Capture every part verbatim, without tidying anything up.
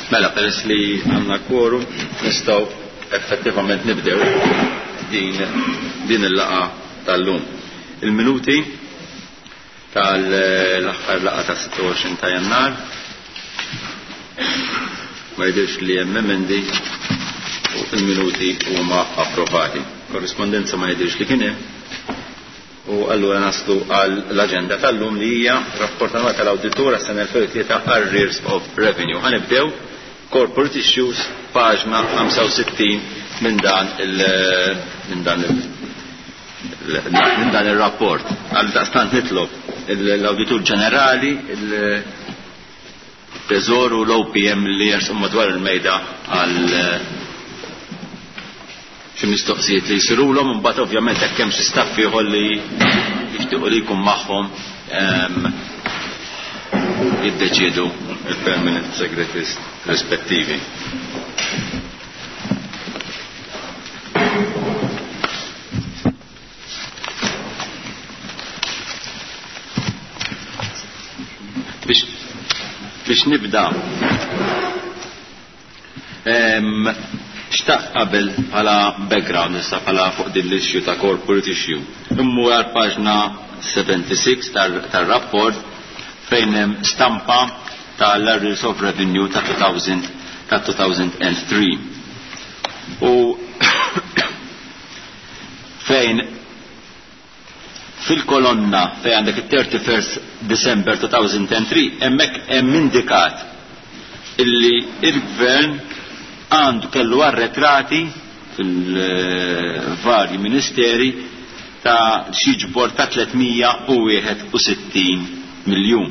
Mela, peress li għandna kworum, nistgħu effettivament nibdew din, din il-laqgħa tal-lum. Il-minuti tal-aħħar laqgħa ta' sitta u għoxrin ta' Jannar ma jidhirx li hemm emendi u il-minuti huma approvati. Korrispondenza ma jidhirx li kien hemm. U allura naslu għal l-aġenda tal-lum li hija rapport annwali tal-awditur għas-sena elfejn u tlieta Arrears of Revenue. Ħanibdew Corporate Issues, paġna ħamsa u sittin minn dan il-, minn dan il-, minn dan il-rapport. Għal daqstant nitlob l-Awditur Ġenerali, il-Teżor u l-O P M li jersqu madwar il-mejda għal xi mistoqsijiet li jsirulhom, imbagħad ovvjament hekk hemm xi staff ieħor li jixtiequ li jkun magħhom, ehm, jiddeċiedu il-permanent secretaries rispettivi. Biex, biex nibda, ehm, xtaqt qabel bħala background issa bħala fuq din l-issue ta' corporate issue. Immur għal paġna seventy-six tar-, tar-rapport fejn hemm stampa tal-Arrears of Revenue ta' two thousand, ta' two thousand and three. U fejn fil-kolonna fejn għandek it-thirty-first December two thousand and three hemmhekk hemm indikat illi il-gvern għandu kellu arretrati fil-varji ministeri ta' xi ġbor ta' tlietmija u wieħed u sittin miljun.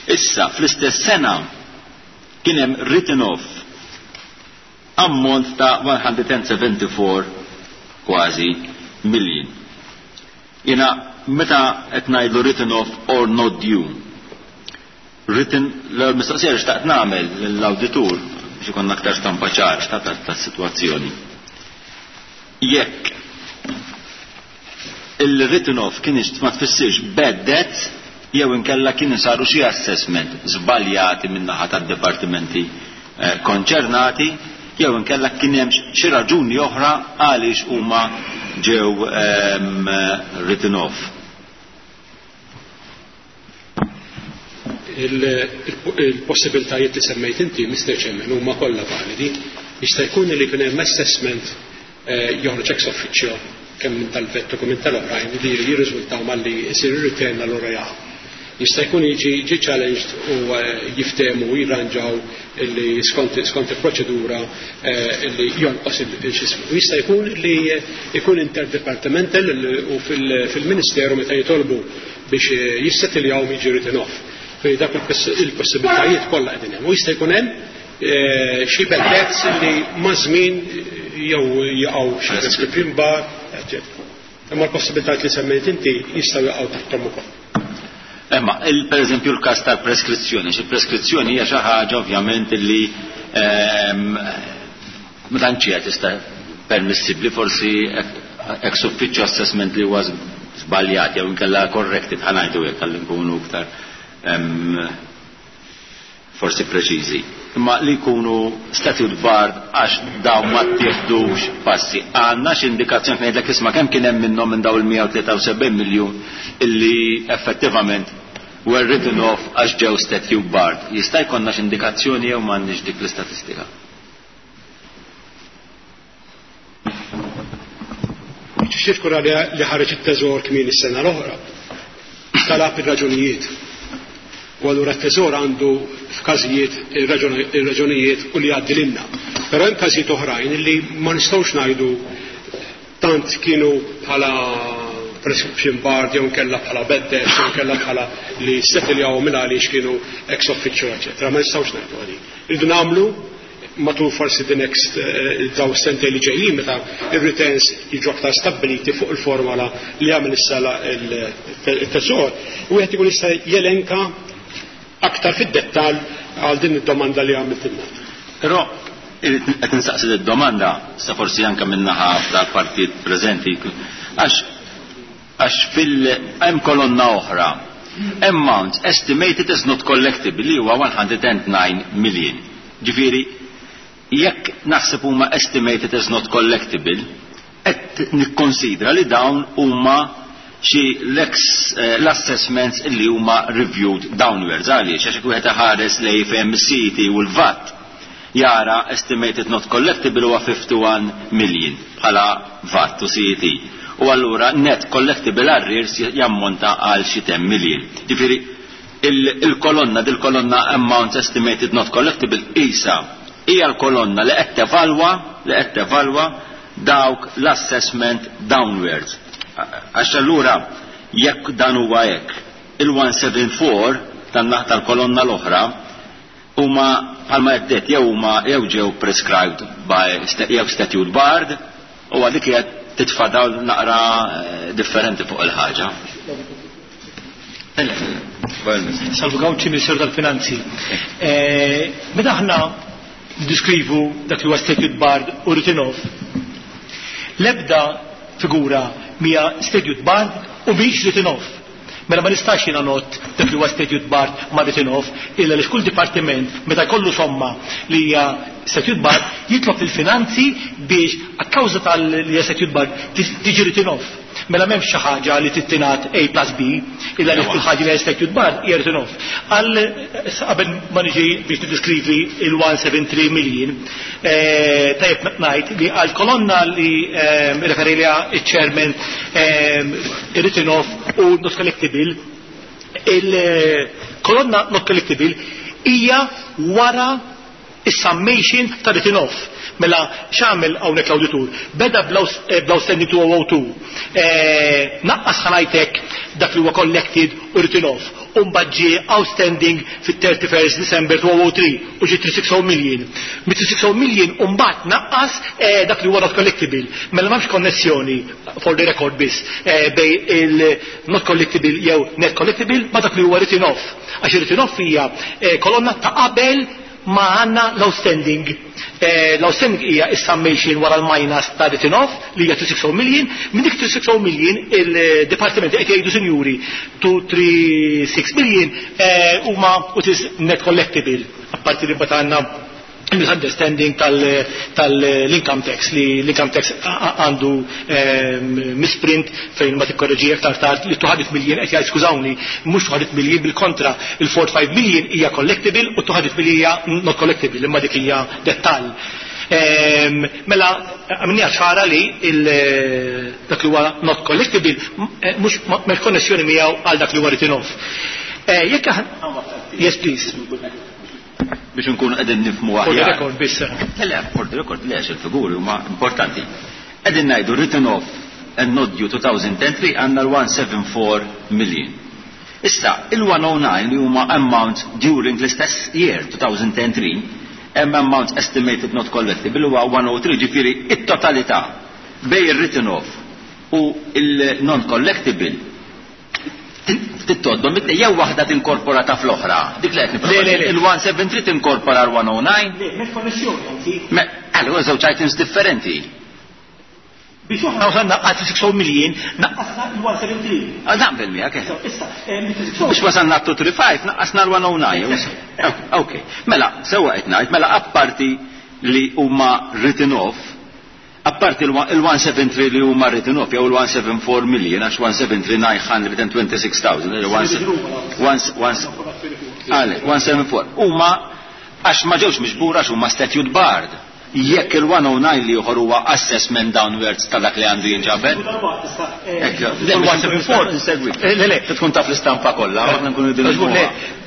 Issa fl-istess sena kien hemm written off ammont ta' one hundred and seventy-four kważi million. Jiena meta qed ngħidlu written off or not due, written l-mistoqsija li xtaqt nagħmel lill-awditur biex ikun aktar stampa ċara ta', ta', ta' situazzjoni. Jekk il-written off kien ma tfissirx bad debt jew inkella kienu saru xi assessment żbaljati min-naħa tad-dipartimenti, eh, konċernati, jew inkella kien hemm xi raġuni oħra għaliex huma ġew, ehm, written off. Il-, il-, il-possibiltajiet li semmejt inti, Mister Chairman, huma kollha validi. Jista' jkun li kien hemm assessment, eh, joħroġ ex officio kemm minn tal-vettu kemm minn tal-oħrajn li jirriżultaw malli jsir ir-return allura jaqa'. Jista' jkun jiġi ġi challenged u, eh, jiftehmu u jirranġaw li skont, skont il-proċedura, eh, li jonqos il-xismu. U jista' jkun li jkun interdepartamental u fil-, fil-Ministeru meta jitolbu biex jissettiljaw jiġi written off. Fejn dak il-poss-, il-possibilitajiet kollha qegħdin hemm. U jista' jkun hemm, eh, xi bad debts li ma' żmien jew jaqgħu xi prescription bar, eċċetera. Imma l-possibilitajiet li semmejt inti jistgħu jaqgħu taħthom ukoll. Imma, il-, per eżempju, l-każ tal-preskrizzjoni, xi preskrizzjoni hija xi ħaġa ovvjament li, ehm, ma tantx hija tista' permissibbli, forsi ex ufficio assessment li huwa żbaljat jew inkella corrected, ħa ngħidu hekk ħalli nkunu iktar, ehm, forsi preċiżi. Imma li jkunu statute barred għax dawn ma ttieħdux passi. Għandna xi indikazzjoni fejn ngħidlek isma' kemm kien hemm minnhom minn dawn il-mija u tlieta u sebgħin miljun illi effettivament were written off għax ġew statute barred. Jista' jkollna xi indikazzjoni jew m'għandniex dik l-istatistika? Xifkura li, li ħareġ it-teżor kmieni s-sena l-oħra. Talab ir-raġunijiet. U allura t-teżor għandu f'każijiet ir-raġunijiet u li jgħaddi lilna. Però hemm każijiet oħrajn li ma nistgħux ngħidu tant kienu bħala prescription barred jew nkella bħala bad debts jew nkella bħala li settiljaw minn għaliex kienu ex officio, eċċetera. Ma nistgħux ngħidu għadi. Irridu nagħmlu matul forsi the next, eh, daw sentej li ġejjin meta ir-returns jiġu aktar stabbiliti fuq il-formola li għamel issa il-teżor, u wieħed ikun jista' jelenka aktar fid-dettall għal din id-domanda li għamiltilna. Però qed insaqsi d-domanda sa forsi anke min-naħa tal-partit preżenti, għax, għax fil hemm kolonna oħra, amount estimated as not collectible li huwa one hundred and nine million. Ġifieri, jekk naħseb huma estimated as not collectible, qed nikkonsidra li dawn huma xi l-assessments illi huma reviewed downwards. Għaliex? Għax wieħed iħares lejn fejn C E T u l-VAT, jara estimated not collectible huwa fifty-one million bħala VAT u C E T. U allura net collectible arrears jammonta għal xi ten million. Ġifieri il-kolonna, dil-kolonna amounts estimated not collectible isa hija l-kolonna li qed tevalwa li qed tevalwa dawk l-assessment downwards. Għax allura jekk dan huwa hekk, il-one seven four tan-naħa tal-kolonna l-oħra huma bħalma għeddet jew huma jew ġew prescribed by jew statute barred, u għadik qed titfa' dawl naqra eh, differenti fuq il-ħaġa. Salvu Gauci, Ministeru tal-Finanzi. Eh, meta aħna diskrivu dak li huwa statute barred u written off, l-ebda figura mija statute barred u mhix written off. Mela ma nistax jiena ngħodd dak li huwa statute barred ma' written off, illa li kull dipartiment meta jkollu somma li hija statute barred jitlob il-finanzi biex a kawża tal-li hija statute barred tiġi written off. Mela m'hemmx xi ħaġa li tittingħad A plus B, illa li kull ħaġa li hija statute barred hija written off. Għal qabel ma niġi biex tiddiskrivi il-one seven three million, eh, tajjeb ngħid li għal kolonna li eh, referilja iċ-chairman, eh, written off u not collectible, il-kolonna not collectible hija wara is-summation ta' written off. Mela x'għamel hawnhekk l-awditur? Beda bl-outstanding two oh two. Eh, naqqas, ħa ngħidlek, dak li huwa collected u written off. U mbagħad ġie outstanding fit-thirty-first December two oh three u ġie three sixty million. Mit three sixty million u mbagħad naqqas eh, dak li huwa not collectible. Mela m'hemmx konnessjoni, for the record biss, eh, bejn il-not collectible jew net collectible ma dak li huwa written off. Għax written off hija kolonna ta' qabel ma għandna l-outstanding. Eh, L-outstanding hija is-summation wara l-minus ta' written off li hija three sixty million. Minn dik three sixty million il-departiment qed jgħidu, sinjuri, two three six million eh, huma what is net collectible. Apparti li mbagħad għandna misunderstanding tal-income tax, li l-income tax għandu ehm, misprint fejn ma tikkorreġi aktar tard li two hundred million, qed jgħid skużawni, mhux two hundred million, bil-kontra, il-forty-five million hija collectible u two hundred million hija not collectible, imma dik hija dettall. Ehm, mela għamilni ċara li dak li huwa not collectible eh, mhux m'hemmx konnessjoni miegħu għal dak li huwa written off. Eh, jekk Yes, please. Biex nkunu qegħdin nifhmu aħjar. For the record biss. Le, for the record, le, il-figuri huma importanti. Qegħdin ngħidu written off and not due two thousand three għandna l-one seven four million. Issa, il-one oh nine li huma amounts during l-istess year two thousand three, hemm amounts estimated not collectible huwa one oh three, ġifieri it-totalità bejn il-written off u il-non collectible tittoddom jew waħda tinkorpora ta' fl-oħra. Dik li qed il-one seven three tinkorpora l-one oh nine? Le, m'hemmx konnessjoni anzi. Allura żewġ items differenti. Biex aħna wasalna għal three sixty million, naqqasna l-one seven three. Ah, naqbel miegħek. Issa, biex wasalna two three five naqqasna l-one oh nine. Ok. Mela, sewwa qed ngħid, mela apparti li huma written off, apparti il-one seven three li huma written off jew il-one seven four million, għax one seven three nine hundred twenty-six thousand, one seven four huma għax ma ġewx miġbura għax huma statute barred. Jekk il-one oh nine li ieħor huwa assessment downwards ta' dak li għandu jinġabed. il-one seven four. Le, le, tkun taf l-istampa kollha, aħna nkunu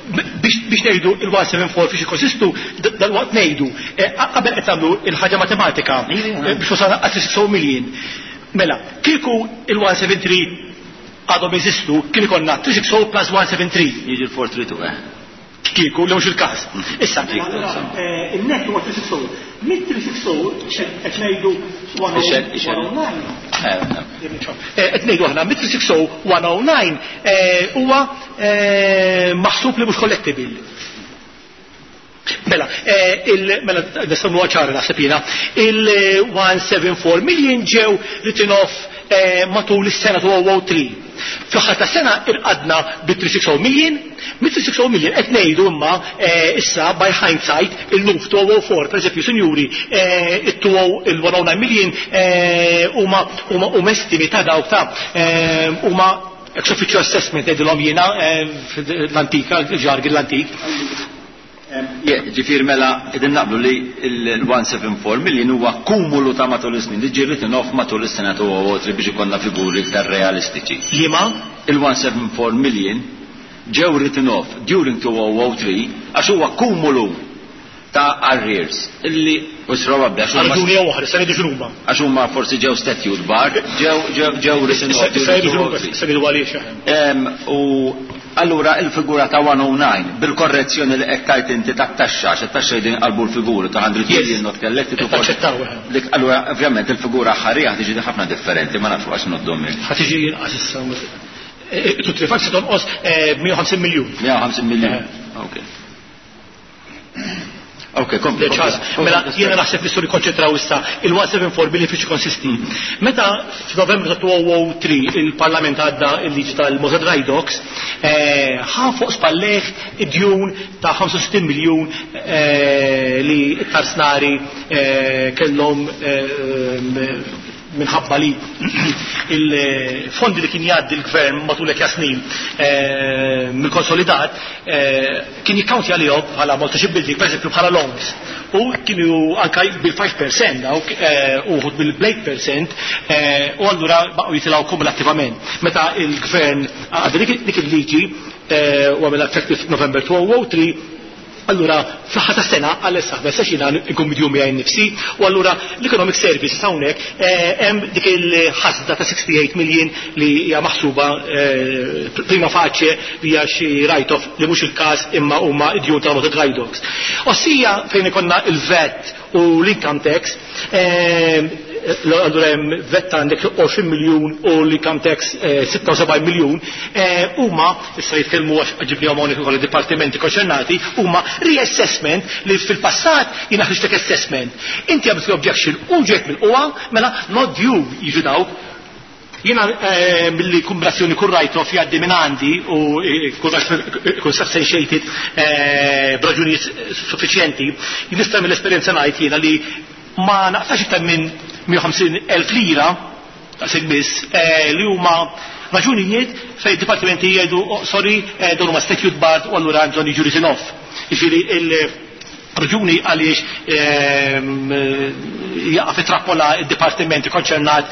biex ngħidu il-one seven four fiex jikkonsistu, dal-waqt ngħidu. Qabel qed tagħmlu il-ħaġa matematika biex wasalna għal three sixty million. Mela, kieku il-one seven three għadhom jeżistu, kien ikollna three sixty plus one seven three. Jiġi l-four three two, eh. Kieku, li mhux il-każ. Issa, il-net huwa three sixty. Mit three sixty qed ngħidu one oh nine. Qed ngħidu aħna mit three sixty one oh nine huwa maħsub li mhux collectible. Mela, mela, nistgħu ċara naħseb jiena, il-one seven four million ġew written off. matul is-sena two oh three. Fl-aħħar ta' sena irqadna bi three hundred sixty million, mit three hundred sixty million qed ngħidu imma issa by hindsight illum f' two oh four, per eżempju, sinjuri, il one hundred nine million huma huma estimi ta' dawk ta' huma ex officio assessment ngħidilhom jiena l-antika, il-jargon l-antik. Ġifieri mela, qegħdin naqblu li il one hundred seventy-four million huwa kumulu ta' matul is-snin li ġie written off matul is-sena two oh three biex ikollna figuri iktar realistiċi. Liema? Il one hundred seventy-four million ġew written off during two thousand three għax huwa kumulu ta' arrears illi u probabbli għax huma Raġuni jew oħra, se ngħidu x'huma. Għax huma forsi ġew statute barred, ġew ġew ġew written off Issa during ngħidu x'huma, two thousand three. Se ngħidu għaliex. Em, U allura il-figura ta' one hundred nine bil-korrezzjoni li qed tajt inti tat-taxxa, għax it-taxxa qegħdin qalbu l-figuri ta' one hundred Yes. million not collected u Taċċettaw, eh. Dik allura ovvjament il-figura ħarija tiġi ħafna differenti, ma nafx għax noddhom. Ħa tiġi inqas issa. Two three five se tonqos mija u ħamsin miljun. mija u ħamsin miljun. Eh. Ok. Ok, kompli. Ċara, mela jiena naħseb li suri konċentraw issa il one hundred seventy-four billion fiex konsisti. Meta f'Novembru ta' two oh three il-Parlament għadda il-liġi tal-Malta Dry Docks, eh, ħa fuq spalleħ id-djun ta' ħamsa u sittin miljun eh, li t-tarznari eh, kellhom minħabba li il-fondi li kien jgħaddi l-gvern matul hekk snin mill-konsolidat kien jikkaunti għalihom bħala Malta Shipbuilding, per eżempju, bħala loans. U kienu anka bil-five percent dawk uħud bil-eight percent u allura baqgħu jitilgħu kumulattivament. Meta il-gvern għadda dik il-liġi u għamel effective November two oh three, allura, fl-aħħar ta' sena, għal issa, bessa xina nkun midjum miegħi nnifsi, u allura l-Economic Service hawnhekk hemm dik il-ħasda ta' sixty-eight million li hija maħsuba prima facie li hija xi write-off li mhux il-każ, imma huma id-djun ta' Malta Dry Docks. Ossia fejn ikollna il-VAT u l-income tax, allura hemm VAT għandek għoxrin miljun u l-income tax sitta u sebgħin miljun, huma issa jitkellmu għax ġibnihom hawnhekk ukoll id-dipartimenti konċernati, huma reassessment li fil-passat jiena ħriġtek assessment. Inti għamilt objection u ġejt mill-qwa, mela not due jiġu dawk. Jiena billi kombinazzjoni kull write-off jgħaddi minn għandi u kun substantiated b'raġunijiet suffiċjenti, nista' mill-esperjenza ngħid jiena li ma naqtax iktar minn mija u ħamsin elf lira daqshekk biss li huma raġunijiet fejn dipartimenti jgħidu, "Oh, sorry, dawn huma statute barred u allura għandhom jiġu written off." Jiġifieri il-raġuni għaliex jaqa' fi trappola id-dipartimenti konċernat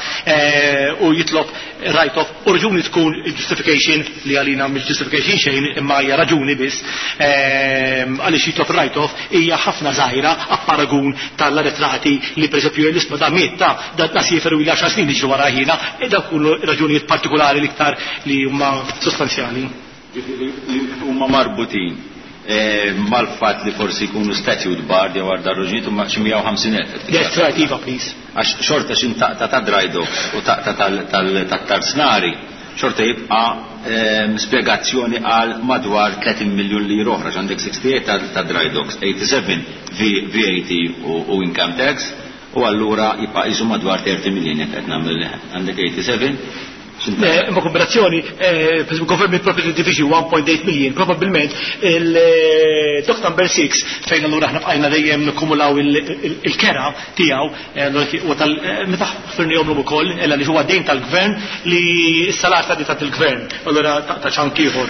u jitlob write-off u raġuni tkun justification li għalina mhix justification xejn imma hija raġuni biss għaliex jitlob write-off hija ħafna żgħira apparagun tal-arretrati li per eżempju l-isma da miet ta' da nasiferu il għaxar snin jiġru wara ħina e dawk kullu raġunijiet partikolari l-iktar li huma sostanzjali. Huma marbutin mal-fat li forsi jkunu statute barred jew għal raġunijiet huma xi mija u ħamsin elf. Yes, right, Iva, please. Għax xorta xin taqta ta' dry docks u taqta tal-tarznari, xorta jibqa spiegazzjoni għal madwar tletin miljun li oħra, għandek sixty-eight ta' dry docks, eighty-seven V A T u income tax, u allura jibqa' jisu madwar thirty miljun jekk qed nagħmel għandek eighty-seven. Ma kombinazzjoni, per esempio, Government Property Division one point eight million, probabilment il-Dock number six, fejn allura aħna bqajna dejjem nikkumulaw il-kera tiegħu, u tal meta ħfirnihom ukoll, illa li huwa dejn tal-gvern li s-salar ta' tal-gvern, allura ta' ċank ieħor.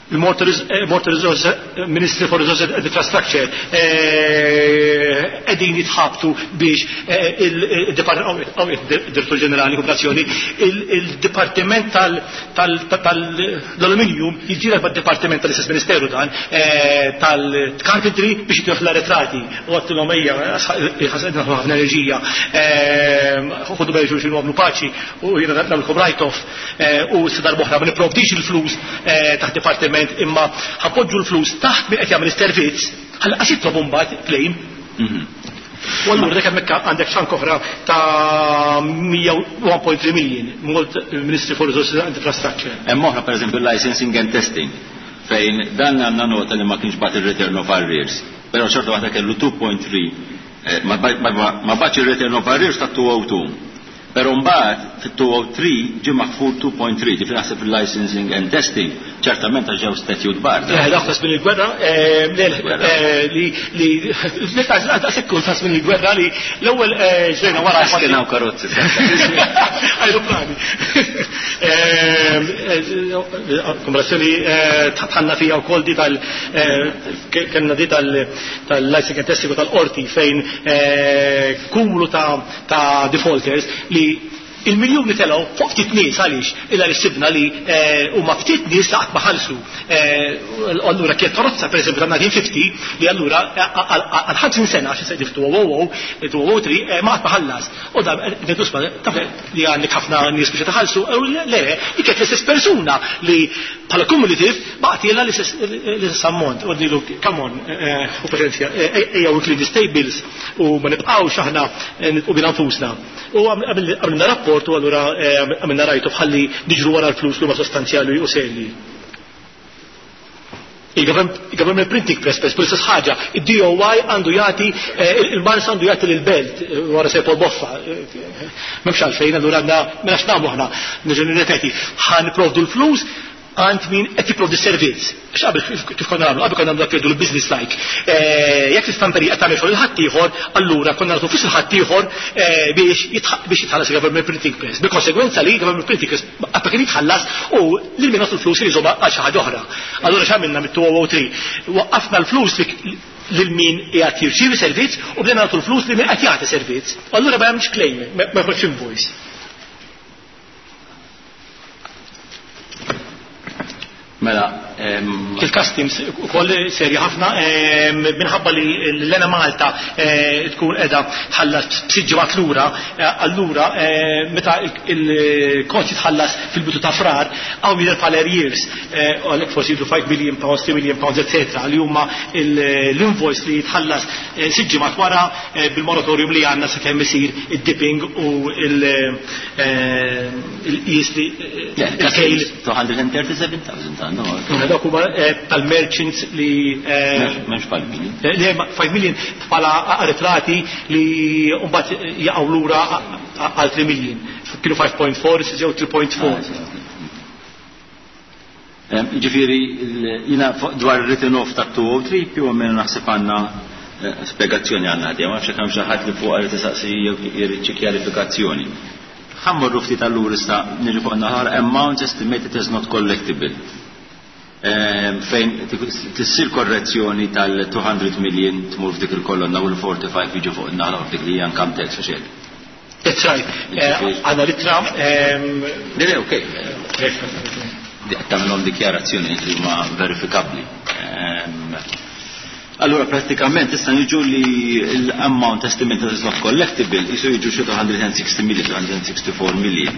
Il-Malta Resource Ministry for Resources and Infrastructure qegħdin jitħabtu biex il-Direttur Ġenerali Kooperazzjoni, il-Dipartiment tal-Aluminium jiġġieled mad-Dipartiment tal-istess Ministeru dan tal-Carpentry biex jitieħ l-arretrati u għedtilhom ejja, ħasqedna ħafna enerġija, ħudu bejn xulxin u għamlu paċi u jiena nagħmilkom write-off u s darb'oħra ma nipprovdix il-flus taħt dipartiment imma ħa npoġġu l-flus taħt min qed jagħmel is-servizz ħalli qas jitlobu mbagħad claim. U allura dak hemmhekk għandek chunk oħra ta' one point three million, Malta Ministry for Resources and Infrastructure. Hemm oħra, pereżempju licensing and testing, fejn dan għandna nota li ma kienx bagħat il-return of arrears, però xorta waħda kellu two point three, ma bagħatx il-return of arrears ta' two oh two. Però mbagħad fit-two oh three ġie maħfur two point three, ġifieri naħseb il-licensing and testing, ċertament għax ġew statute bar. Eh, dak ta' żmien il-gwerra, eh, eh, li li daqshekk ta' żmien il-gwerra li l-ewwel ġrejna wara. Kien hawn karozzi. Aeroplani. Komparazzjoni tħanna fija wkoll di tal kellna di tal-licensing and testing u tal-qorti fejn kumulu ta' defaulters li il-miljoni telgħu fuq ftit nies. Għaliex? Illa li sibna li eh, huma ftit nies li qatt ma ħallsu. Eh, allura kienet karozza, pereżempju, ta' elf disa' mija u ħamsin li allura għal ħamsin sena, xi se elfejn u tlieta ma qatt ma ħallas. U da ngħidu, taf li għandek ħafna nies biex taħallsu, le, li kienet l-istess persuna li bħala cumulative baqgħet l-istess ammont. U ngħidu, come on, u paċenzja, ejja u clean tables u ma nibqgħux aħna nibqgħu bina nfusna. U għamilna rapport u allura għamilna rajtu bħalli niġru wara l-flus li huma sostanzjali u serji. Il-Government Printing Press, per l-istess ħaġa, il-D O Y għandu jagħti, il-Mars għandu jagħti l-Belt, wara Sir Paul Boffa. M'hemmx għalfejn, allura għandna, mela x'nagħmlu aħna, nerġa' nirrepeti, ħa nipprovdu l-flus għand min qed jipprovdi servizz. X'qabel kif konna nagħmlu? Qabel konna nagħmlu dak l-business like. Jekk l-istamperija qed tagħmel xogħol il-ħaddieħor, allura konna nagħtu flus il-ħaddieħor biex biex jitħallas il-Government Printing Press. Bil-konsegwenza li Government Printing Press qatt kien jitħallas u lil min nagħtu l-flus li jżomma għal xi ħaġa oħra. Allura x'għamilna mit-elfejn u tlieta? Waqqafna l-flus lil min qiegħed jirċievi servizz u bdejna nagħtu l-flus lil min qed jagħti servizz. Allura ma hemmx claim, ma jħroġx invoice. Mela, il-customs ukoll serja ħafna minħabba li l-Enemalta eh, tkun qiegħda tħallas b'sitt ġimgħat lura, eh, allura eh, meta il-kont jitħallas fil-bidu ta' Frar, hawn jidher bħala arrears, għalhekk forsi jidhru five million pounds, three million pounds, eccetera, li huma l-invoice li jitħallas sitt ġimgħat wara bil-moratorium li għandna sakemm isir id-dipping u il-qis li il-kejl. two hundred thirty-seven thousand għandu. Dak huma tal-merchants li M'hemmx five million. Li five million bħala arretrati li mbagħad jaqgħu lura għal three million. Kienu five point four, issa ġew three point four. Ġifieri, jiena dwar written off ta' two oh three più o meno naħseb għandna spiegazzjoni għandna għadja, ma nafx hemm xi ħadd li fuq għal tisaqsi jew jrid xi kjarifikazzjoni. Ħa mmorru ftit allura issa niġu fuq naħar amounts estimated as not collectible. Fejn tissir korrezzjoni tal-two hundred million tmur f'dik il-kolonna u l-forty-five jiġu fuq in-naħa f'dik li hija income tax u xejn. That's right. Għandna l-ittra. Le, le, okej. Tagħmilhom dikjarazzjoni li huma verifikabbli. Allura pratikament issa niġu li l-amount estimated is not collectible jisu jiġu xi two hundred sixty million, two hundred sixty-four million.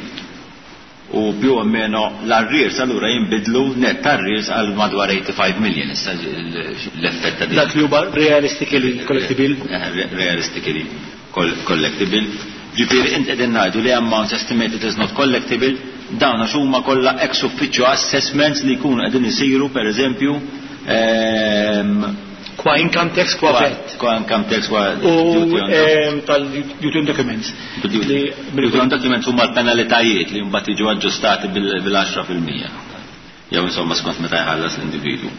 U più o meno l-arrears allura jinbidlu net arrears għal madwar eighty-five million issa l-effett ta' Dak li huwa realistically collectible. Realistically collectible. Ġifieri int qegħdin ngħidu li amounts estimated is not collectible dawn għax huma kollha ex officio assessments li jkunu qegħdin isiru, pereżempju, Kwa income tax, kwa VAT. Kwa income tax, kwa U tal-duty on documents. Duty on documents huma l-penalitajiet li mbagħad jiġu aġġustati bil-għaxra fil-mija. Jew insomma skont meta jħallas l-individwu.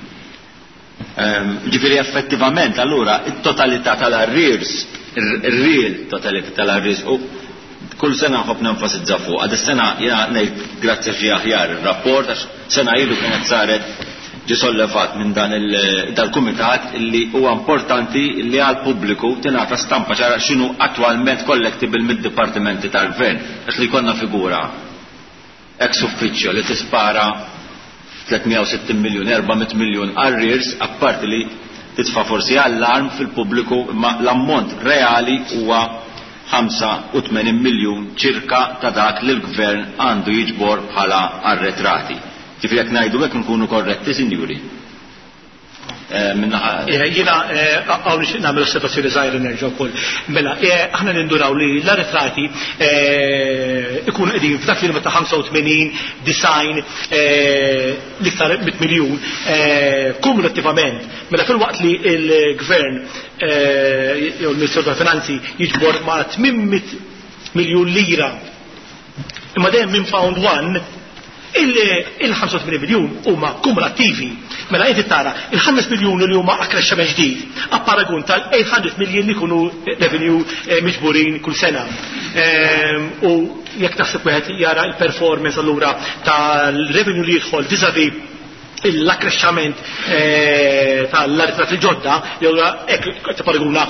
Ġifieri effettivament allura it-totalità tal-arrears, ir-real totalità tal-arrears, u kull sena nħobb nenfasizza fuq. Għad is-sena jiena ngħid grazzi xi aħjar ir-rapport, għax sena ilu kienet saret ġi sollevat minn dan dal-kumitat li huwa importanti li għal pubbliku tingħata stampa ċara x'inhu attwalment collectible mid-dipartimenti tal-gvern, għax li jkollna figura ex ufficio li tispara tliet mija u sittin miljun, erba' mitt miljun arrears, apparti li titfa' forsi allarm fil-pubbliku, imma l-ammont reali huwa ħamsa u tmenin miljun ċirka ta' dak li l-gvern għandu jiġbor bħala arretrati. Ġifieri jekk ngħidu hekk nkunu korretti, sinjuri? Jiena hawn nagħmel osservazzjoni żgħira nerġa' wkoll. Mela, aħna ninduraw li l-arretrati ikunu qegħdin f'dak li ta' ħamsa u tmenin, disgħin, l-iktar mitt miljun kumulattivament. Mela fil-waqt li l-gvern jew l-Ministeru tal-Finanzi jiġbor ma' tmien mitt miljun lira Imma dejjem minn pound one il-ħamsa u tmenin miljun huma kumulattivi. Mela inti tara il-ħames miljun li huma akkrexxament ġdid, a paragun tal-tmien mija miljun li jkunu revenue eh, miġburin kull sena. Ehm, u jekk taħseb wieħed jara il-performance allura tal-revenue li jidħol vis-a-vis l-akkrexxament eh, tal-arretrati ġodda, jew hekk paraguna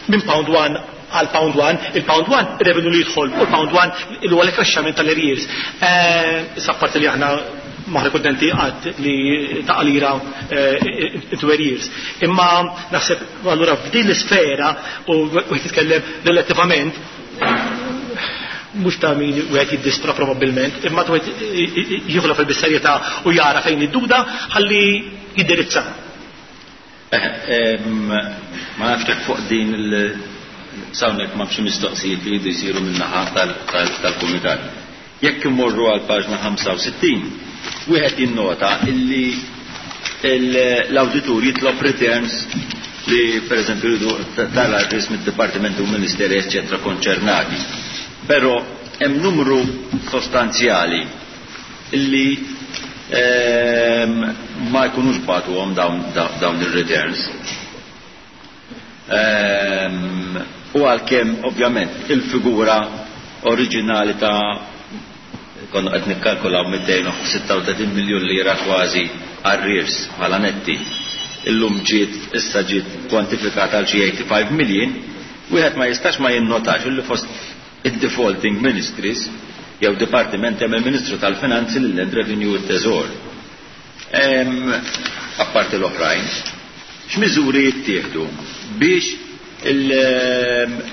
minn pound one għal pound one, il-pound one revenue li jidħol u l-pound one il huwa l-akkrexxament tal-arrears. Eh, issa parti li aħna maħna kontenti għad li ta' lira into arrears. Imma naħseb allura f'din l-isfera u wieħed jitkellem relattivament, mhux ta' min wieħed jiddistra probabbilment, imma wieħed jieħu fil-bis-serjetà u jara fejn id-duda ħalli jindirizza. Eh, ma nafx fuq din il- sawnek ma fxi mistoqsijiet li jridu jsiru min-naħa tal-kumitat. Jekk imorru għal paġna ħamsa u sittin, wieħed jinnota illi l-awditur jitlob returns li per eżempju jridu tal-arrears mid-dipartimenti u ministeri eccetera konċernati. Però hemm numru sostanzjali illi ehm, ma jkunux bagħtuhom dawn ir-returns. Ehm, u għalkemm ovvjament il-figura oriġinali ta' konna qed nikkalkulaw mitejn u sitta u tletin miljun lira kważi arrears bħala netti, illum ġiet issa ġiet kwantifikata għal xi tmienja u tmenin million, wieħed ma jistax ma jinnotax illi fost id-defaulting ministries jew dipartiment hemm il-Ministru tal-Finanzi, l-Land Revenue u t-Teżor. Apparti l-oħrajn, x'miżuri jittieħdu biex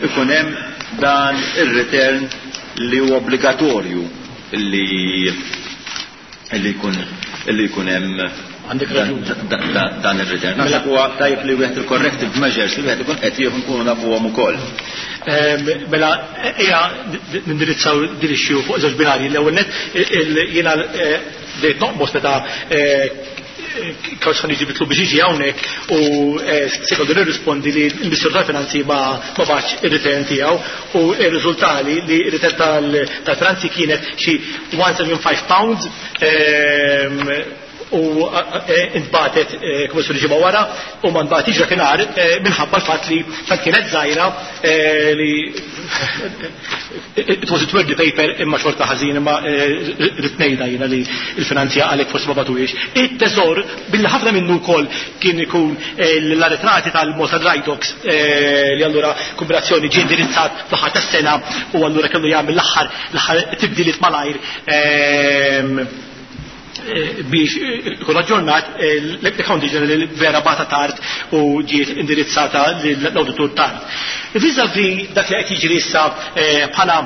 ikun hemm dan ir-return li huwa obbligatorju li li jkun li jkun hemm Għandek raġun. dan ir-return? Naħseb huwa tajjeb li wieħed il-corrective measures li wieħed ikun qed jieħu nkunu nafuhom ukoll. Mela, ejja nindirizzaw din issue fuq żewġ binarji. L-ewwel net, jiena bdejt noqmos meta kawx ħan bitlu biex jiġi hawnhekk u sekondu nirrispondi li l-Ministru tal-Finanzi ma ma bagħatx ir-return tiegħu u r-riżultali li r-return tal-Finanzi kienet xi mija u sebgħa u tmenin pounds u intbagħtet kummissjoni ġimgħa wara u ma ntbagħtix dakinhar minħabba l-fatt li tant kienet żgħira li it was a wordy paper, imma xorta ħażin, imma rrid ngħidha jiena li l-finanzja għalhekk forsi ma bagħtuhiex. It-teżor, billi ħafna minnu wkoll kien ikun l-arretrati tal-Malta Dry Docks, li allura kombinazzjoni ġie indirizzat fl-aħħar tas-sena u allura kellu jagħmel l-aħħar l-aħħar tibdiliet malajr biex ikun aġġornat, l-Accounting General vera bagħatha tard u ġiet indirizzata l-auditur tard. Vis-a-vis dak li qed jiġri issa bħala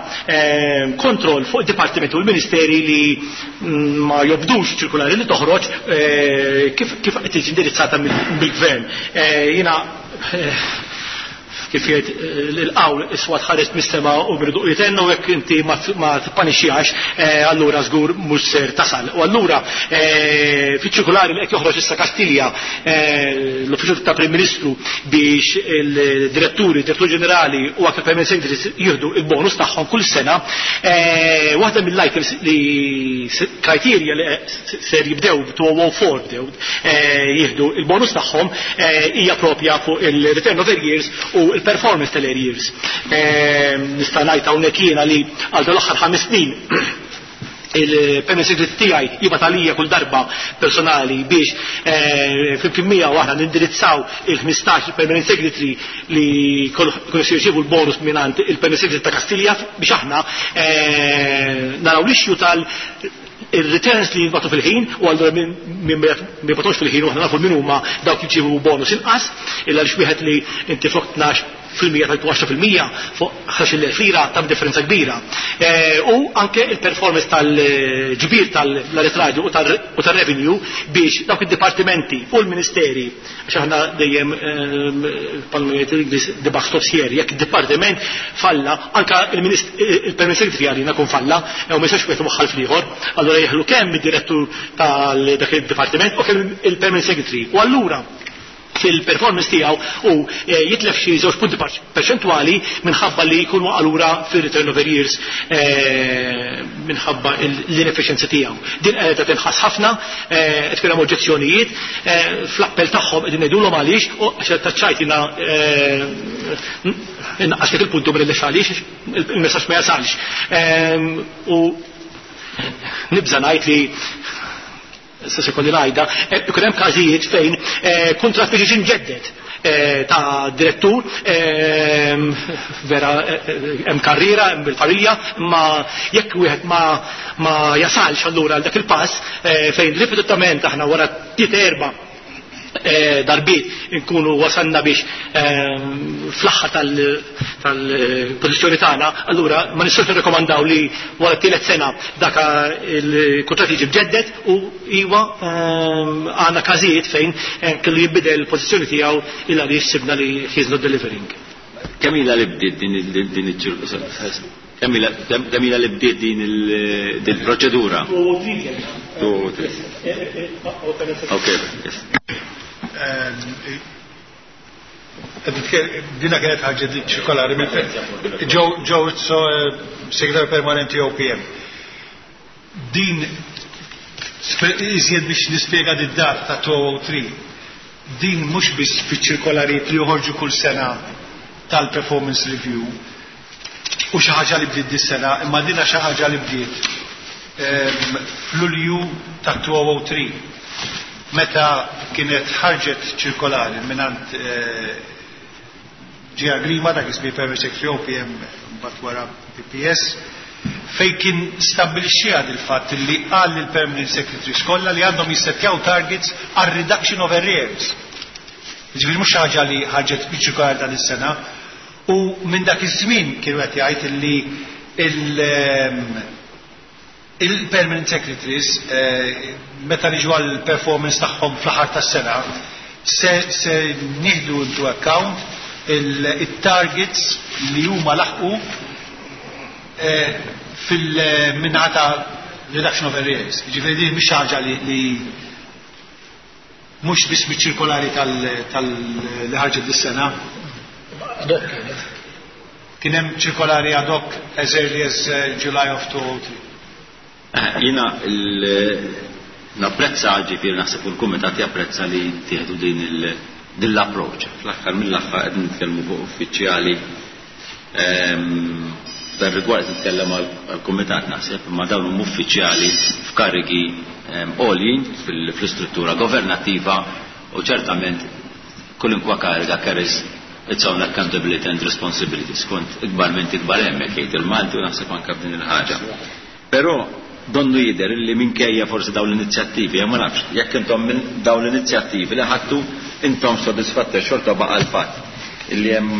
kontroll fuq id-dipartimenti u l-ministeri li ma jobdux ċirkulari li toħroġ, kif kif qed tiġi indirizzata mill-gvern. Jiena, kif jgħid l-qawl, is-swat ħares mis-sema u birduq jitennu, jekk inti ma tippanixxiex, allura żgur mhux ser tasal. U allura fiċ-ċirkulari li qed joħroġ issa Kastilja, l-Uffiċċju ta' Prim Ministru, biex il-diretturi, direttur ġenerali u anke permanent secretaries jieħdu il-bonus tagħhom kull sena, waħda mill-items li criteria li ser jibdew elfejn u erbatax bdew jieħdu il-bonus tagħhom hija propja fuq il-return of years u il-performance tal-arrears. Nista' ngħid hawnhekk jiena li għal l-aħħar ħames snin il-permanent secretary tiegħi jibgħat għalija kull darba personali biex flimkien miegħu aħna nindirizzaw il-ħmistax il-permanent secretary li kollu jirċievu l-bonus mingħand il-permanent secretary ta' Kastilja biex aħna naraw l-issue tal il-returns li jintbagħtu fil-ħin u allura min ma jibgħatux fil-ħin u aħna nafu min huma dawk li jġibu bonus inqas, illa għaliex wieħed li inti flok tnax fil-mija tal għaxra fil-mija fuq ħdax-il elf lira ta' differenza kbira. U anke il-performance tal-ġbir tal-arretrati u tal-revenue biex dawk id-dipartimenti u l-ministeri, għax aħna dejjem palmijiet l-Ingliż, the buck stops here, jekk id-dipartiment falla, anka il-permanent secretary għalina kun falla, u ma jistax wieħed waħħal fl-ieħor, allura jeħlu kemm id-direttur tal dak id-dipartiment u kemm il-permanent secretary. U allura fil-performance tiegħu u jitlef xi żewġ punti perċentwali minħabba li jkun waqa' lura fir-return over years minħabba l-inefficiency tiegħu. Din qiegħda tinħass ħafna, qed tkun hemm oġġezzjonijiet fl-appell tagħhom qegħdin ngħidulhom għaliex u għax taċċajt jiena innaqqas dik il-puntu mill għaliex il-messaġġ ma jasalx. U nibża' ngħid li se sekondi ngħidha, ikun hemm każijiet fejn kuntratt biex jiġi mġedded ta' direttur, vera hemm karriera, hemm il-familja, imma jekk wieħed ma ma jasalx allura għal dak il-pass fejn ripetutament aħna wara tliet erba' darbiet nkunu wasalna biex fl-aħħar tal-pożizzjoni tagħna, allura ma nistgħux nirrekomandaw li wara tielet sena dak il-kuntratt jiġi mġedded u iwa għandna każijiet fejn kellu jinbidel il-pożizzjoni tiegħu illa li sibna li he's not delivering. Kemm ilha li bdiet din il-ċirku? Kemm ilha li bdiet din il-proċedura? Okay, yes. Dina kienet ħaġa ċirkolari Joe Izzo, segretarju permanenti O P M. Din iżjed biex nispjega di data ta' two oh three. Din mhux biss fiċ-ċirkolarijiet li joħorġu kull sena tal-performance review u xi ħaġa li bdiet dis-sena, imma dina xi ħaġa li bdiet f'Lulju ta' two oh three. Meta kienet ħarġet ċirkolari mingħand Ġia Grima, dak ismi Permanent Secretary O P M mbagħad wara P P S, fejn kien stabbilixxiha il-fatt li qal lill Permanent Secretaries kollha li għandhom jissettjaw targets għal reduction of arrears. Jiġifieri mhux ħaġa li ħarġet biċ-ċirkolari dan is-sena, u minn dak iż-żmien kienu qed jgħid li il-Permanent Secretaries meta niġu għall performance tagħhom fl-aħħar tas-sena se, se nieħdu into account il-targets li huma laħqu fil-minnaħa ta' reduction of arrears. Jiġifieri din mhix ħaġa li, li mhux biss miċ-ċirkolari tal-li ħarġet dis-sena. Ad hoc kienet. Kien hemm ċirkolari ad hoc as early as July of two oh three. Jiena napprezza, ġifieri naħseb il-kumitat japprezza li tieħdu din din l-approach. Fl-aħħar mill-aħħar qed nitkellmu fuq uffiċjali, f'dan rigward nitkellem għall-kumitat naħseb, imma dawn huma uffiċjali f'karigi għoljin fl-istruttura governattiva u ċertament kulinkwa kariga carries its own accountability and responsibility. Skont ikbar minn ikbar hemmhekk jgħid il-Malti u naħseb anke f'din il-ħaġa. Però donnu jidher li minkejja forsi dawn l-inizjattivi, ma nafx, jekk intom minn dawn l-inizjattivi li ħadtu intom sodisfatti xorta baqa' l-fatt illi hemm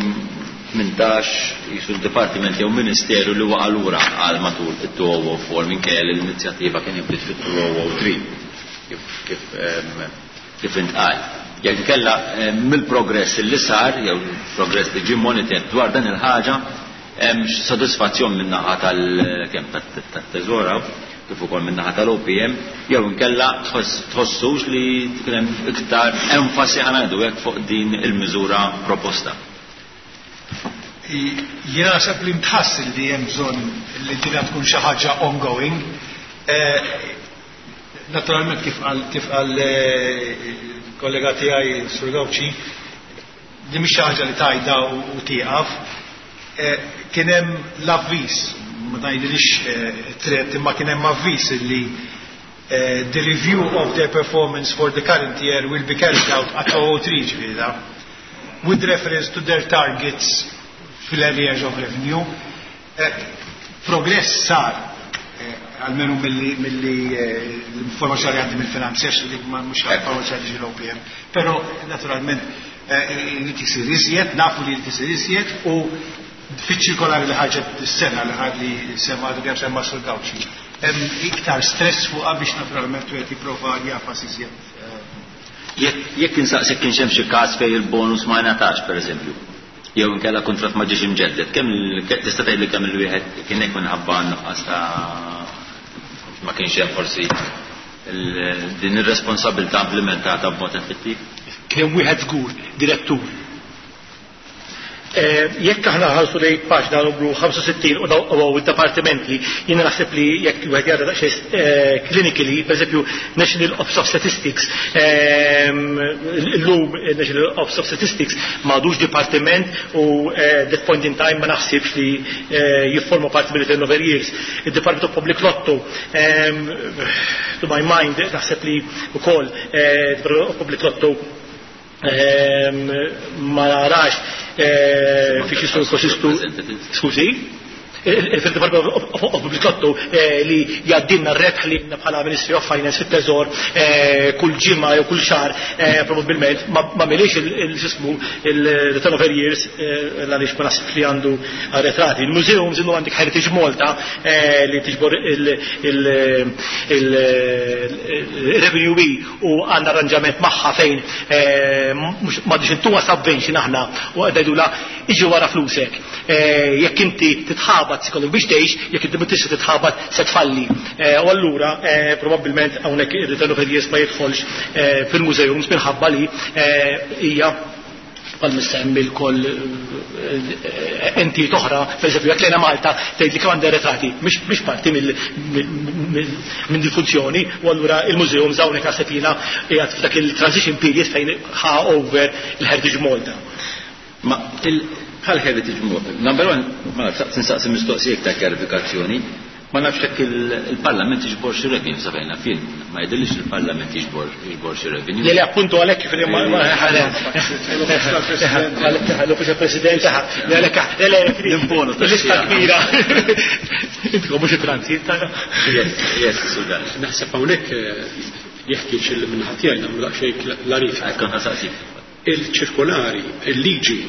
tmintax jisu d-dipartiment jew ministeru li waqa' lura għal matul it-two oh oh four minkejja li l-inizjattiva kien inbdiet fit-two oh oh three kif, kif, ehm, kif intqal. Jekk inkella, ehm, mill-progress li sar jew progress li ġie monitored dwar dan il-ħaġa, hemm sodisfazzjon min-naħa tal-kemm tat-teżora kif ukoll min-naħa tal-O P M, jew inkella tħossux li tkun hemm iktar enfasi ħa ngħidu hekk fuq din il-miżura proposta. Jiena naħseb li ntħass li hemm bżonn li dinha tkun xi ħaġa ongoing. Eh, naturalment kif qal, kif qal, eh, kollega tiegħi Sur Gauci, din mhix xi ħaġa li tajda u, u tieqaf. Eh, kien hemm l-avviż, ma ngħidilix, eh, tret, imma kien hemm avviż li, eh, the review of their performance for the current year will be carried out at two oh three, ġifieri da, with reference to their targets fil-areas of revenue. Eh, progress sar, eh, almenu milli, milli, eh, l-informazzjoni għandi mill-finanzi, għax dik ma mhux informazzjoni ġi l-O P M, però naturalment, eh, irid isir iżjed, nafu li jrid isir iżjed, u fiċ-ċirkolari li ħarġet is-sena li ħad li semma għadu kemm semma Sur Gauci, hemm iktar stress fuqha biex naturalment wieħed jipprova jafas iżjed. Jekk, jekk insaqsek kienx hemm xi każ fejn il-bonus ma ngħatax pereżempju, jew inkella kuntratt ma ġiex imġedded, kemm il-, ke-, tista' tgħidli kemm il-wieħed kien hekk minħabba nuqqas ta' ma kienx hemm forsi il-, din ir-responsabilità implementata b'mod effettiv? Kien hemm wieħed żgur, direttur. Jekk aħna ħarsu lejn paġna numru ħamsa u sittin u daw id-dipartimenti, jiena naħseb li jekk wieħed jara daqsxejn clinically, pereżempju National Office of Statistics, illum National Office of Statistics m'għadux dipartiment u that point in time ma naħsibx li jifforma parti mill-return of arrears. Il-Department of Public Lotto, to my mind, naħseb li wkoll Department of Public Lotto ma narax fiex jistgħu jkonsistu. Skużi? Il-Department of Public Lotto li jgħaddilna r-rebħ li bħala Ministry of Finance fit-Teżor kull ġimgħa jew kull xahar, probabbilment ma milix il-sismu il-return of arrears għaliex ma naħsibx li għandu arretrati. Il-museums illum għandek Heritage Malta li tiġbor il-revenue u għandna arranġament magħha fejn m'għadix intuha subvention aħna u għaddejdu iġi wara flusek. Jekk inti titħabat ikollok biex tgħix, jekk inti ma tista' titħabat se tfalli. U allura probabbilment hawnhekk ir-return of arrears ma jidħolx fil-museums minħabba li hija bħal missemmi l-koll entijiet oħra, pereżempju jekk lejna Malta tgħid li kemm għandha retrati, mhix parti minn din funzjoni, u allura il-museums hawnhekk naħseb jiena qiegħed f'dak il-transition period fejn ħa over il-Heritage Malta. Ma bħal Heritage Malta, number one, ma nafx tinsaqsi mistoqsija ta' kjarifikazzjoni, ma nafx jekk il-Parlament jiġbor xi revenue sa fejna fien, ma jidhirlix il-Parlament jiġbor jiġbor xi revenue. Le, le, appunto għalhekk kif ma l-Uffiċċju President, le, le, le, le, Nimponu ta' lista kbira. Intkom mhux it-transit tagħna. Yes, yes, Sudan. Naħseb hawnhekk jeħtieġ il minħat tiegħi nagħmlu daqsxejn klarifika. Ekku ħasaqsik. Il-ċirkolari, il-liġi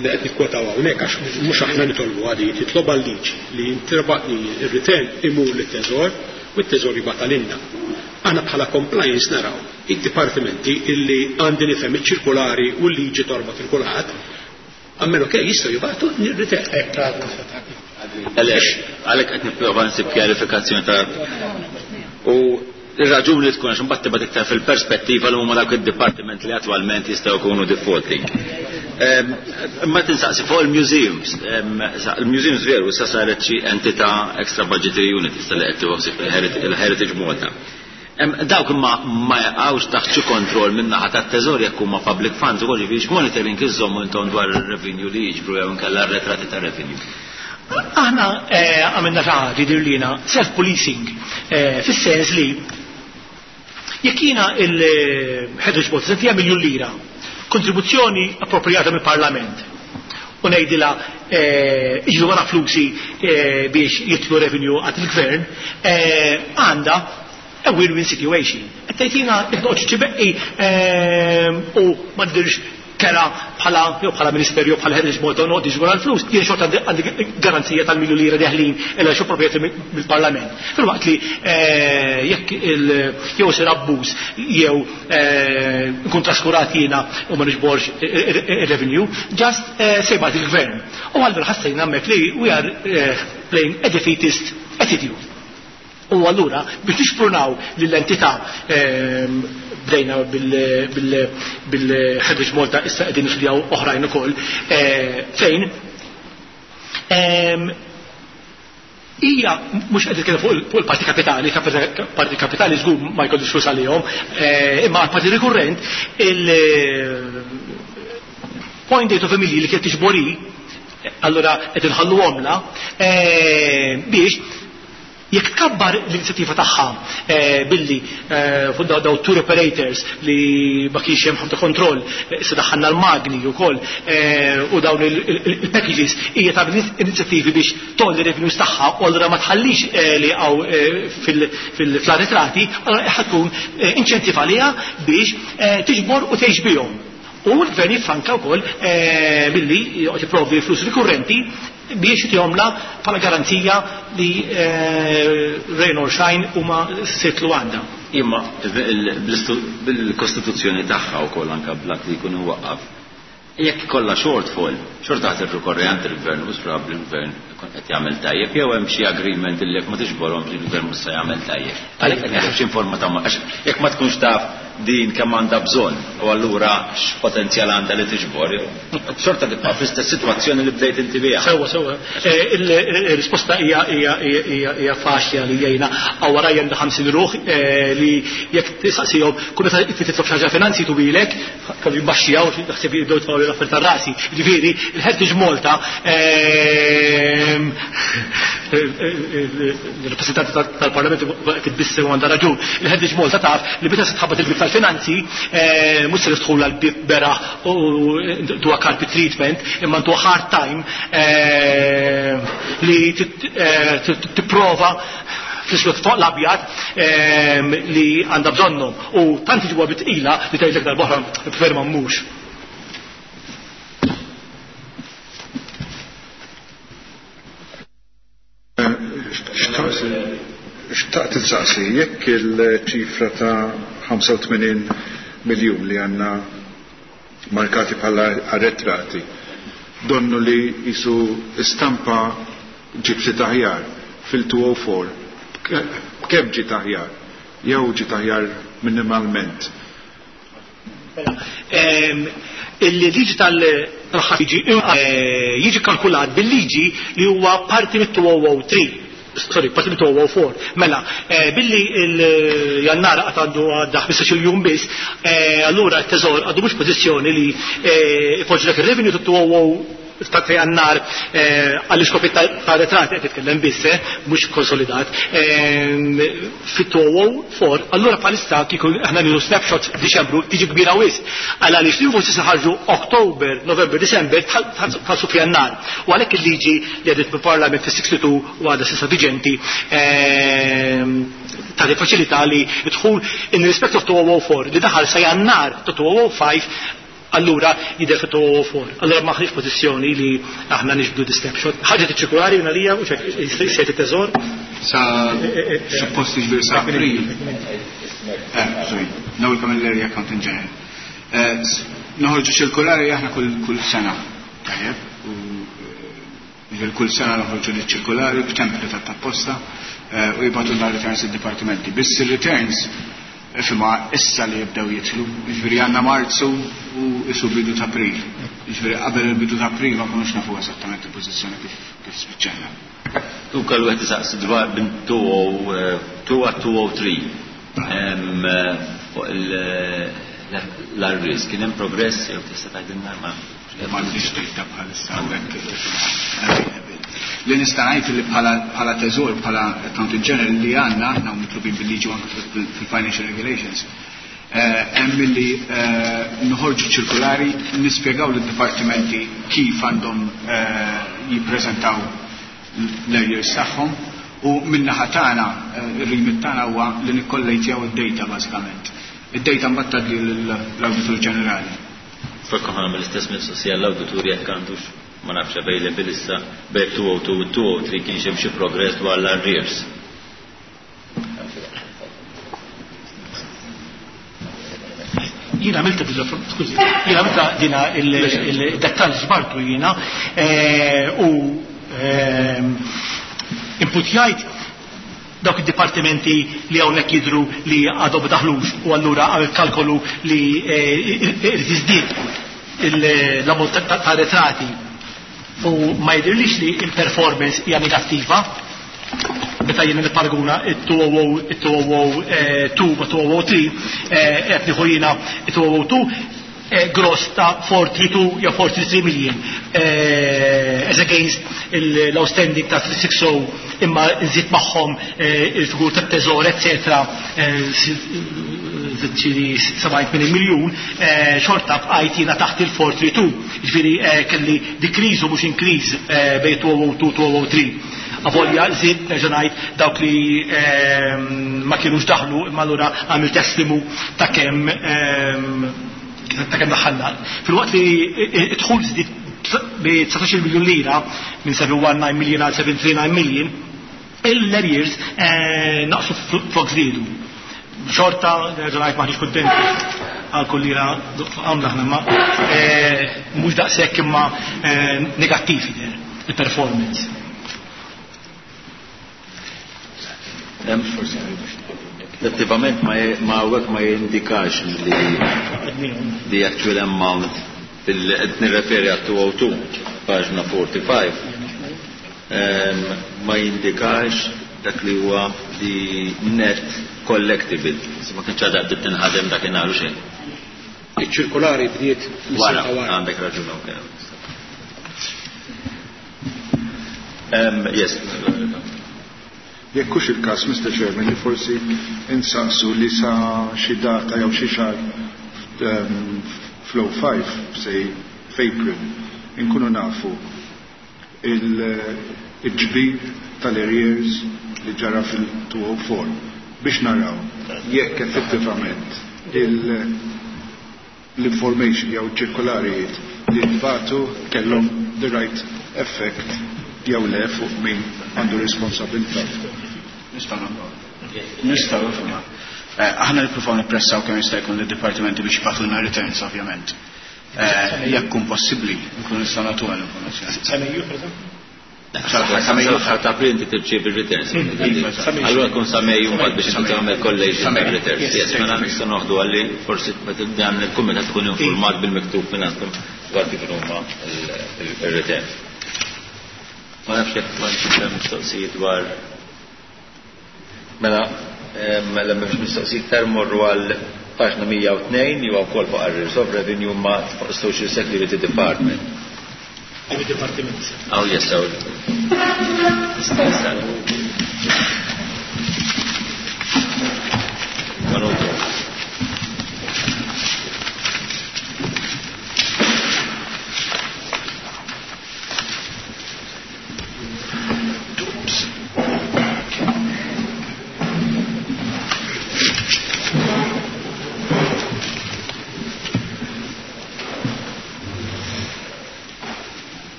li qed nikkwetaw hawnhekk għax mhux aħna nitolbu għadi, titlob għal-liġi li jintraba li r-return imur lit-teżor u t-teżor jibgħat għalina. Aħna bħala compliance naraw id-dipartimenti illi għandi nifhem iċ-ċirkolari u l-liġi torbot il-kulħadd, għammelu kej jistgħu jibgħatu r-return. Għalhekk, għalhekk qed nipprova nsib kjarifikazzjoni ta' u ir-raġuni li tkun għax imbagħad tibgħat iktar fil-perspettiva li huma dawk id-dipartiment li attwalment jistgħu jkunu defaulting. Imma tinsaqsi fuq il-museums. Il-museums veru issa saret xi entità extra budgetary unit issa li qed tieħu il-Heritage Malta. Dawk imma ma jaqgħux taħt xi kontroll minn naħa tat-teżor jekk huma public funds ukoll, jiġifieri x'monitoring iżommu intom dwar ir-revenue li jiġbru jew inkella r-retrati ta' revenue. Aħna għamilna xi ħaġa jidhirlina self-policing fis-sens li jekk jiena il-Heritage Malta se miljun lira kontribuzzjoni appropriata mill-Parlament u ngħidilha iġru wara flusi biex jitlu revenue għand il-gvern, għandha a win-win situation. Qed tgħidina jekk noqgħodx ċibeqqi u ma ndirx kera bħala jew bħala ministerju bħala Heritage Malta noqgħod iġru wara l-flus, jien xorta għandi garanzija tal-miljun lira deħlin illa xi proprjetà mill-Parlament. Filwaqt li jekk jew isir abbuż jew nkun traskurat jiena u ma niġborx ir-revenue, just sejbat il-gvern. U allura ħassejna hemmhekk li we are playing a defeatist attitude. U allura biex nixprunaw lill-entità bdejna bil-Heritage Malta issa qegħdin nistudjaw oħrajn ukoll fejn hija mhux qed nitkellem fuq il-parti kapitali, parti kapitali żgur ma jkollux flus għalihom, imma parti rikurrent il-point eight of a million li kienet tiġbori, allura qed inħallu għomla biex jekk kabbar l-inizjattiva tagħha billi fuq daw tour operators li ma kienx hemm ħafna kontroll, se daħħalna l-magni wkoll u dawn il-packages hija tagħmel inizjattivi biex tolli revenues tagħha u allura ma tħallix li hawn fil-arretrati, allura ħa tkun inċentiv għaliha biex tiġbor u tgħix bihom. U l-gvern jiffranka wkoll billi joqgħod jipprovdi flus rikurrenti biex jomla bħala garanzija li rain or shine huma sitlu għandha. Imma bil-kostituzzjoni tagħha wkoll anke bl-att li jkun waqqaf. Jekk ikollha shortfall, xorta ħadd irrikorri għand il-gvern u probabbli l-gvern ikun qed jagħmel tajjeb jew hemm xi agreement illi jekk ma tiġborhomx il-gvern mhux se jagħmel tajjeb. Għalhekk qed xi informa ta' għax jekk ma tkunx taf din kemm għandha bżonn u allura x'potenzjal għandha li tiġbor. Xorta tibqa' fl-istess sitwazzjoni li bdejt inti biha. Sewwa, sewwa. Il-risposta hija hija hija faċli għalija jiena. Hawn warajja għandi ħamsin ruħ li jekk tistaqsihom kull meta titlob xi ħaġa finanzi tubilek, kellu jimbaxxiha u taħseb jibdew jitfgħu l-affarijiet tar-rasi. Jiġifieri il-Heritage Malta il-rappresentanti tal-Parlament titbissem għandha raġun. Il-Heritage Malta taf li meta se tħabbat il-bib tal-finanzi mhux se tidħol għall-bib beraħ u tuha carpet treatment, imma ntuha hard time li tipprova fl-iswed fuq l-abjad li għandha bżonnhom. U tant iġibuha bitqila li tgħidlek darb'oħra prefer ma mmux. Xtaqt insaqsi, jekk il-ċifra ta' ħamsa u tmenin miljun li għandna markati bħala arretrati, donnu li jisu istampa ġiet ftit aħjar fil-two oh four, b'kemm ġiet aħjar? Jew ġiet aħjar minimalment? Il-liġi tal-ħadd jiġi kalkulat bil-liġi li huwa parti mit-two oh three. Sorry, parti mit-two oh four. Mela, billi il-jannar għad għandu għadda ħmistax-il jum biss, allura t-teżor għandu mhux pożizzjoni li ipoġġi dak ir-revenue ta' two oh ta' jannar għall-iskopi ta' retrati qed titkellem biss, mhux konsolidat, fit-two oh four, allura bħalissa kieku aħna nieħdu snapshot f'Diċembru tiġi kbira wisq. Għal għaliex l-invoices ħarġu Oktober, November, December tħallsu f'Jannar. U għalhekk il-liġi li għadiet mill-Parlament fis-sixty-two u għadha s'issa viġenti tagħti faċilità li dħul in respect of two oh four li daħal sa Jannar ta' two oh five, allura jidher fi two oh four. Allura ma ħniex pożizzjoni li aħna niġbdu di snapshot. Ħaġa tiċċirkulari minn għalija u xejn it-teżor. Sa suppost jiġbir sa April. Eh, sorry, Noel Camilleri, Accountant General. Noħorġu ċirkulari aħna kull sena. Tajjeb, u jiġifieri kull sena noħorġu li ċirkulari b'template ta' apposta u jibgħatu l returns id-dipartimenti. Biss ir-returns fima issa li jibdew jitlu, jiġifieri għandna Marzu u isu bidu ta' April. Jiġifieri qabel il-bidu ta' April ma konux nafu eżattament il-pożizzjoni kif, kif spiċċajna. Tu kellu qed isaqsi dwar bin two oh two għat two oh three. Fuq l-arrears kien hemm progress jew tista' tgħidilna ma m'għandix data bħalissa hawnhekk. Li nista' ngħid li bħala, bħala teżor, bħala Accountant General li għandna aħna mitlubin bil-liġi anke fil-Financial Regulations, hemm li noħorġu ċirkulari nispjegaw lid-dipartimenti kif għandhom jippreżentaw l-arrears tagħhom u min-naħa tagħna ir-remit tagħna huwa li nikkollejtjaw id-data bażikament. Id-data mbagħad tgħaddi l-Awditur Ġenerali. Fakka ħana mill-istess mistoqsija l-awditur jekk għandux ma nafx available issa bejn two oh two u two oh three kienx hemm xi progress dwar l-arrears. Jiena għamilta dina, skużi, jiena għamilta dina il-dettall ġbartu jiena u inputjajt dawk id-dipartimenti li hawnhekk jidhru li għadhom ma daħlux u allura għamil kalkolu li irid jiżdied l-ammont ta' retrati u ma jidhirlix li il-performance hija negattiva meta jiena nipparaguna it-two oh two oh two ma two oh three, qed nieħu jiena it-two oh two gross ta' four three two jew four three three million as against l-outstanding ta' three six oh imma nżid magħhom il-figur tat-teżor eccetera xi sebgħin tmien miljun, xorta bqajt jiena taħt il-four three two. Jiġifieri kelli decrease u mhux increase bejn two oh two two oh three. Avolja żied nerġa' ngħid dawk li ma kienux daħlu imma allura għamil testimu ta' kemm ta' kemm daħħalna. Fil-waqt li id-dħul żdied bi dsatax-il miljun lira minn seven one nine million għal seven three nine million, il-arrears naqsu flok żdiedu. Xorta, nerġa' ngħid maħniex kuntenti għal kull lira għamla aħna ma mhux daqshekk imma negattiv jidher il-performance. Hemm forsi għal biex Effettivament ma hawnhekk ma jindikax li the actual amount qed nirreferi għat two oh two, paġna forty-five, ma jindikax dak li huwa the net collectible. Ma kienx għadha bdiet tinħadem dakinhar u xejn. Iċ-ċirkolari bdiet wara, għandek raġun, okay. Yes. Jekk hux il-każ, Mister Chairman, li forsi insaqsu li sa xi data jew xi xahar flow five, say f'April, inkunu nafu il-ġbir tal-arrears li ġara fil-two oh four biex naraw jekk effettivament l-information jew ċirkolarijiet li ntbagħtu kellhom the right effect jew le fuq min għandu responsabilità. Nistgħu nagħmlu. Nistgħu nagħmlu. Aħna nippruvaw nippressaw kemm jista' jkun lid-dipartimenti biex jibgħatulna returns ovvjament. Jekk kun possibbli nkunu nistgħu nagħtuha l-informazzjoni. Sa Mejju, pereżempju? Sa Mejju sal ta' April inti tirċievi r-returns. Allura jkun sa Mejju mbagħad biex inti tagħmel collation ta' returns. Yes, mela nistgħu noħdu għalli forsi meta dan il-kumitat tkun informat bil-miktub minn għandkom dwar kif huma il-returns. Ma nafx jekk ma nafx hemm mistoqsijiet dwar. Mela, mela m'hemmx mistoqsijiet iktar morru għal paġna mija u tnejn jew wkoll fuq arrears of revenue ma fuq Social Security Department. Għal dipartiment. Oh, yes, oh.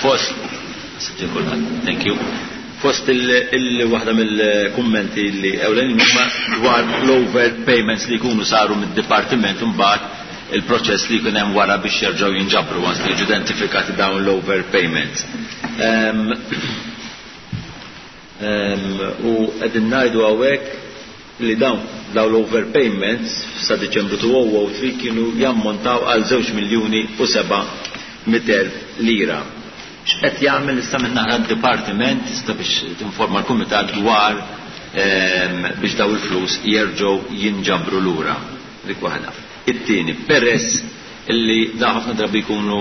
Fost, thank you. Fost il-waħda mill-kummenti li ewlenin huma dwar l-overpayments li jkunu saru mid-dipartiment imbagħad il-proċess li jkun hemm wara biex jerġgħu jinġabru once li jiġu identifikati dawn l-overpayments. U qegħdin ngħidu hawnhekk li dawn dawn l-overpayments sa Diċembru two oh oh three kienu jammontaw għal żewġ miljuni u seba' mitt elf lira. X'qed jagħmel issa minn naħa d-dipartiment issa biex tinforma l-kumitat dwar, ehm, biex daw il-flus jerġgħu jinġabru lura. Dik waħda. It-tieni, peress illi da ħafna drabi jkunu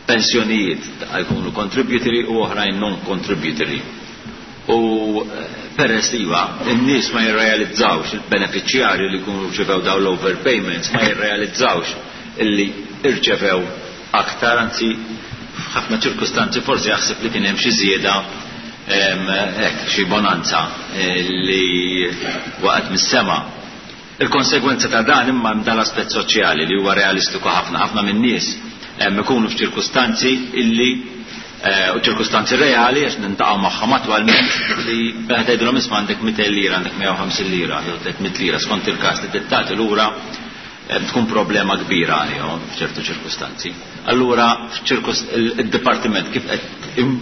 pensjonijiet, jkunu contributory u oħrajn non-contributory. U, eh, peress li iva, in-nies ma jirrealizzawx, il-beneficjarju li jkunu rċevew daw l-overpayments ma jirrealizzawx illi irċevew aktar, anzi f'ħafna ċirkustanzi forsi jaħseb li kien hemm xi żieda, ehm, hekk, xi bonanza, eh, li waqgħet mis-sema. Il-konsegwenza ta' dan imma hemm dal-aspett soċjali li huwa realistiku ħafna, ħafna min-nies hemm ikunu f'ċirkustanzi illi, eh, u ċirkustanzi reali għax nintaqgħu magħhom attwalment li meta tgħidilhom isma' għandek mitejn lira, għandek mija u ħamsin lira, jew tliet mitt lira skont il-każ li tagħti lura, eh, tkun problema kbira għalihom f'ċertu ċirkustanzi. Allura f'ċirkust-, il-, il-dipartiment kif qed im-,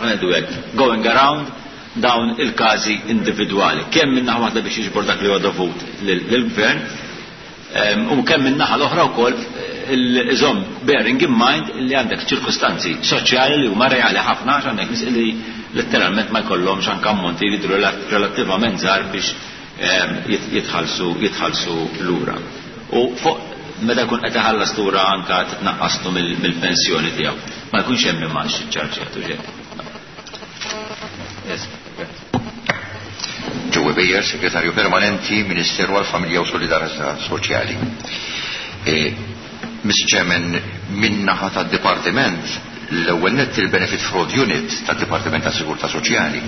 ngħidu hekk, going around dawn il-każi individwali, kemm minn naħa waħda biex jiġbor dak li huwa dovut lil-, lill-gvern, em, u kemm minn naħa l-oħra wkoll iżomm bearing in mind li għandek ċirkustanzi soċjali li huma reali ħafna għax għandek nies li letteralment ma jkollhomx anke ammonti li jidhru relattivament żgħar biex, em, jit-, jitħallsu, jitħallsu lura. U fuq meta jkun qed iħallas lura anke titnaqqaslu mill-, mill-pensjoni tiegħu. Ma jkunx hemm imax iċċarġjat u xejn. Yes. Joe Bejer, Segretarju Permanenti, Ministeru għall-Familja u Solidarjetà Soċjali. E, Mister Chairman, min-naħa tad-Dipartiment, l-ewwel nett il-Benefit Fraud Unit tad-Dipartiment ta' Sigurtà Soċjali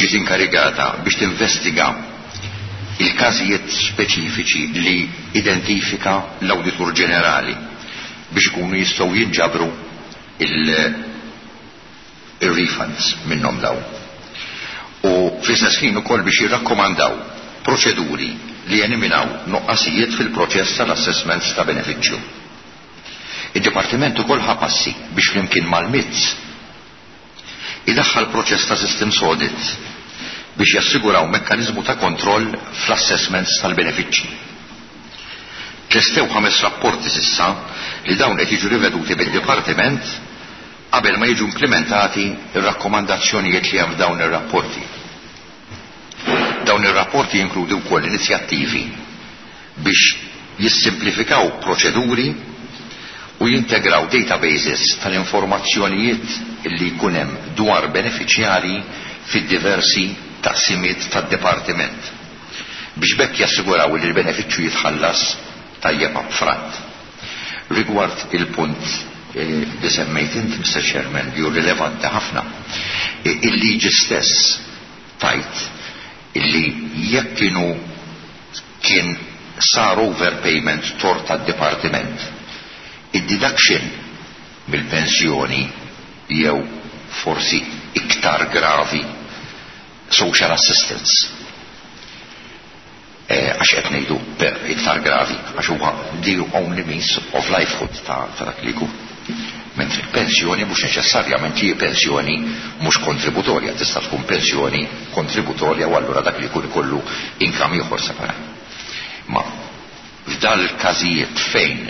ġiet inkarigata biex tinvestiga il-każijiet speċifiċi li identifika l-Awditur Ġenerali biex ikunu jistgħu jinġabru il-, il-refunds minnhom daw. U fl-istess ħin ukoll biex jirrakkomandaw proċeduri li jeliminaw nuqqasijiet fil-proċess tal-assessments ta' benefiċċju. Id-Dipartiment ukoll ħa passi biex flimkien mal-M I T S idaħħal proċess ta' systems audit biex jassiguraw mekkaniżmu ta' kontroll fl-assessments tal-benefiċċji. Tlestew ħames rapporti s'issa li dawn qed jiġu riveduti bid-Dipartiment qabel ma jiġu implimentati ir-rakkomandazzjonijiet li hemm f'dawn ir-rapporti. Dawn ir-rapporti jinkludu wkoll inizjattivi biex jissimplifikaw proċeduri u jintegraw databases tal-informazzjonijiet li jkun hemm dwar benefiċjarji fid-diversi taqsimiet tad-dipartiment biex b'hekk jassiguraw li l-benefiċċju jitħallas tajjeb upfront. Rigward il-punt eh, li semmejt inti, Mister Chairman, li hu rilevanti ħafna, eh, il-liġi stess tgħid illi jekk kienu kien sar overpayment tort tad-dipartiment, id-deduction mill-pensjoni jew forsi iktar gravi social assistance, għax qed ngħidu iktar gravi għax huwa the only means of livelihood ta' dak li jkun. Mentri pensjoni mhux neċessarjament hi pensjoni mhux kontributorja, tista' tkun pensjoni kontributorja u allura dak li jkun ikollu income ieħor separat. Ma f'dal każijiet fejn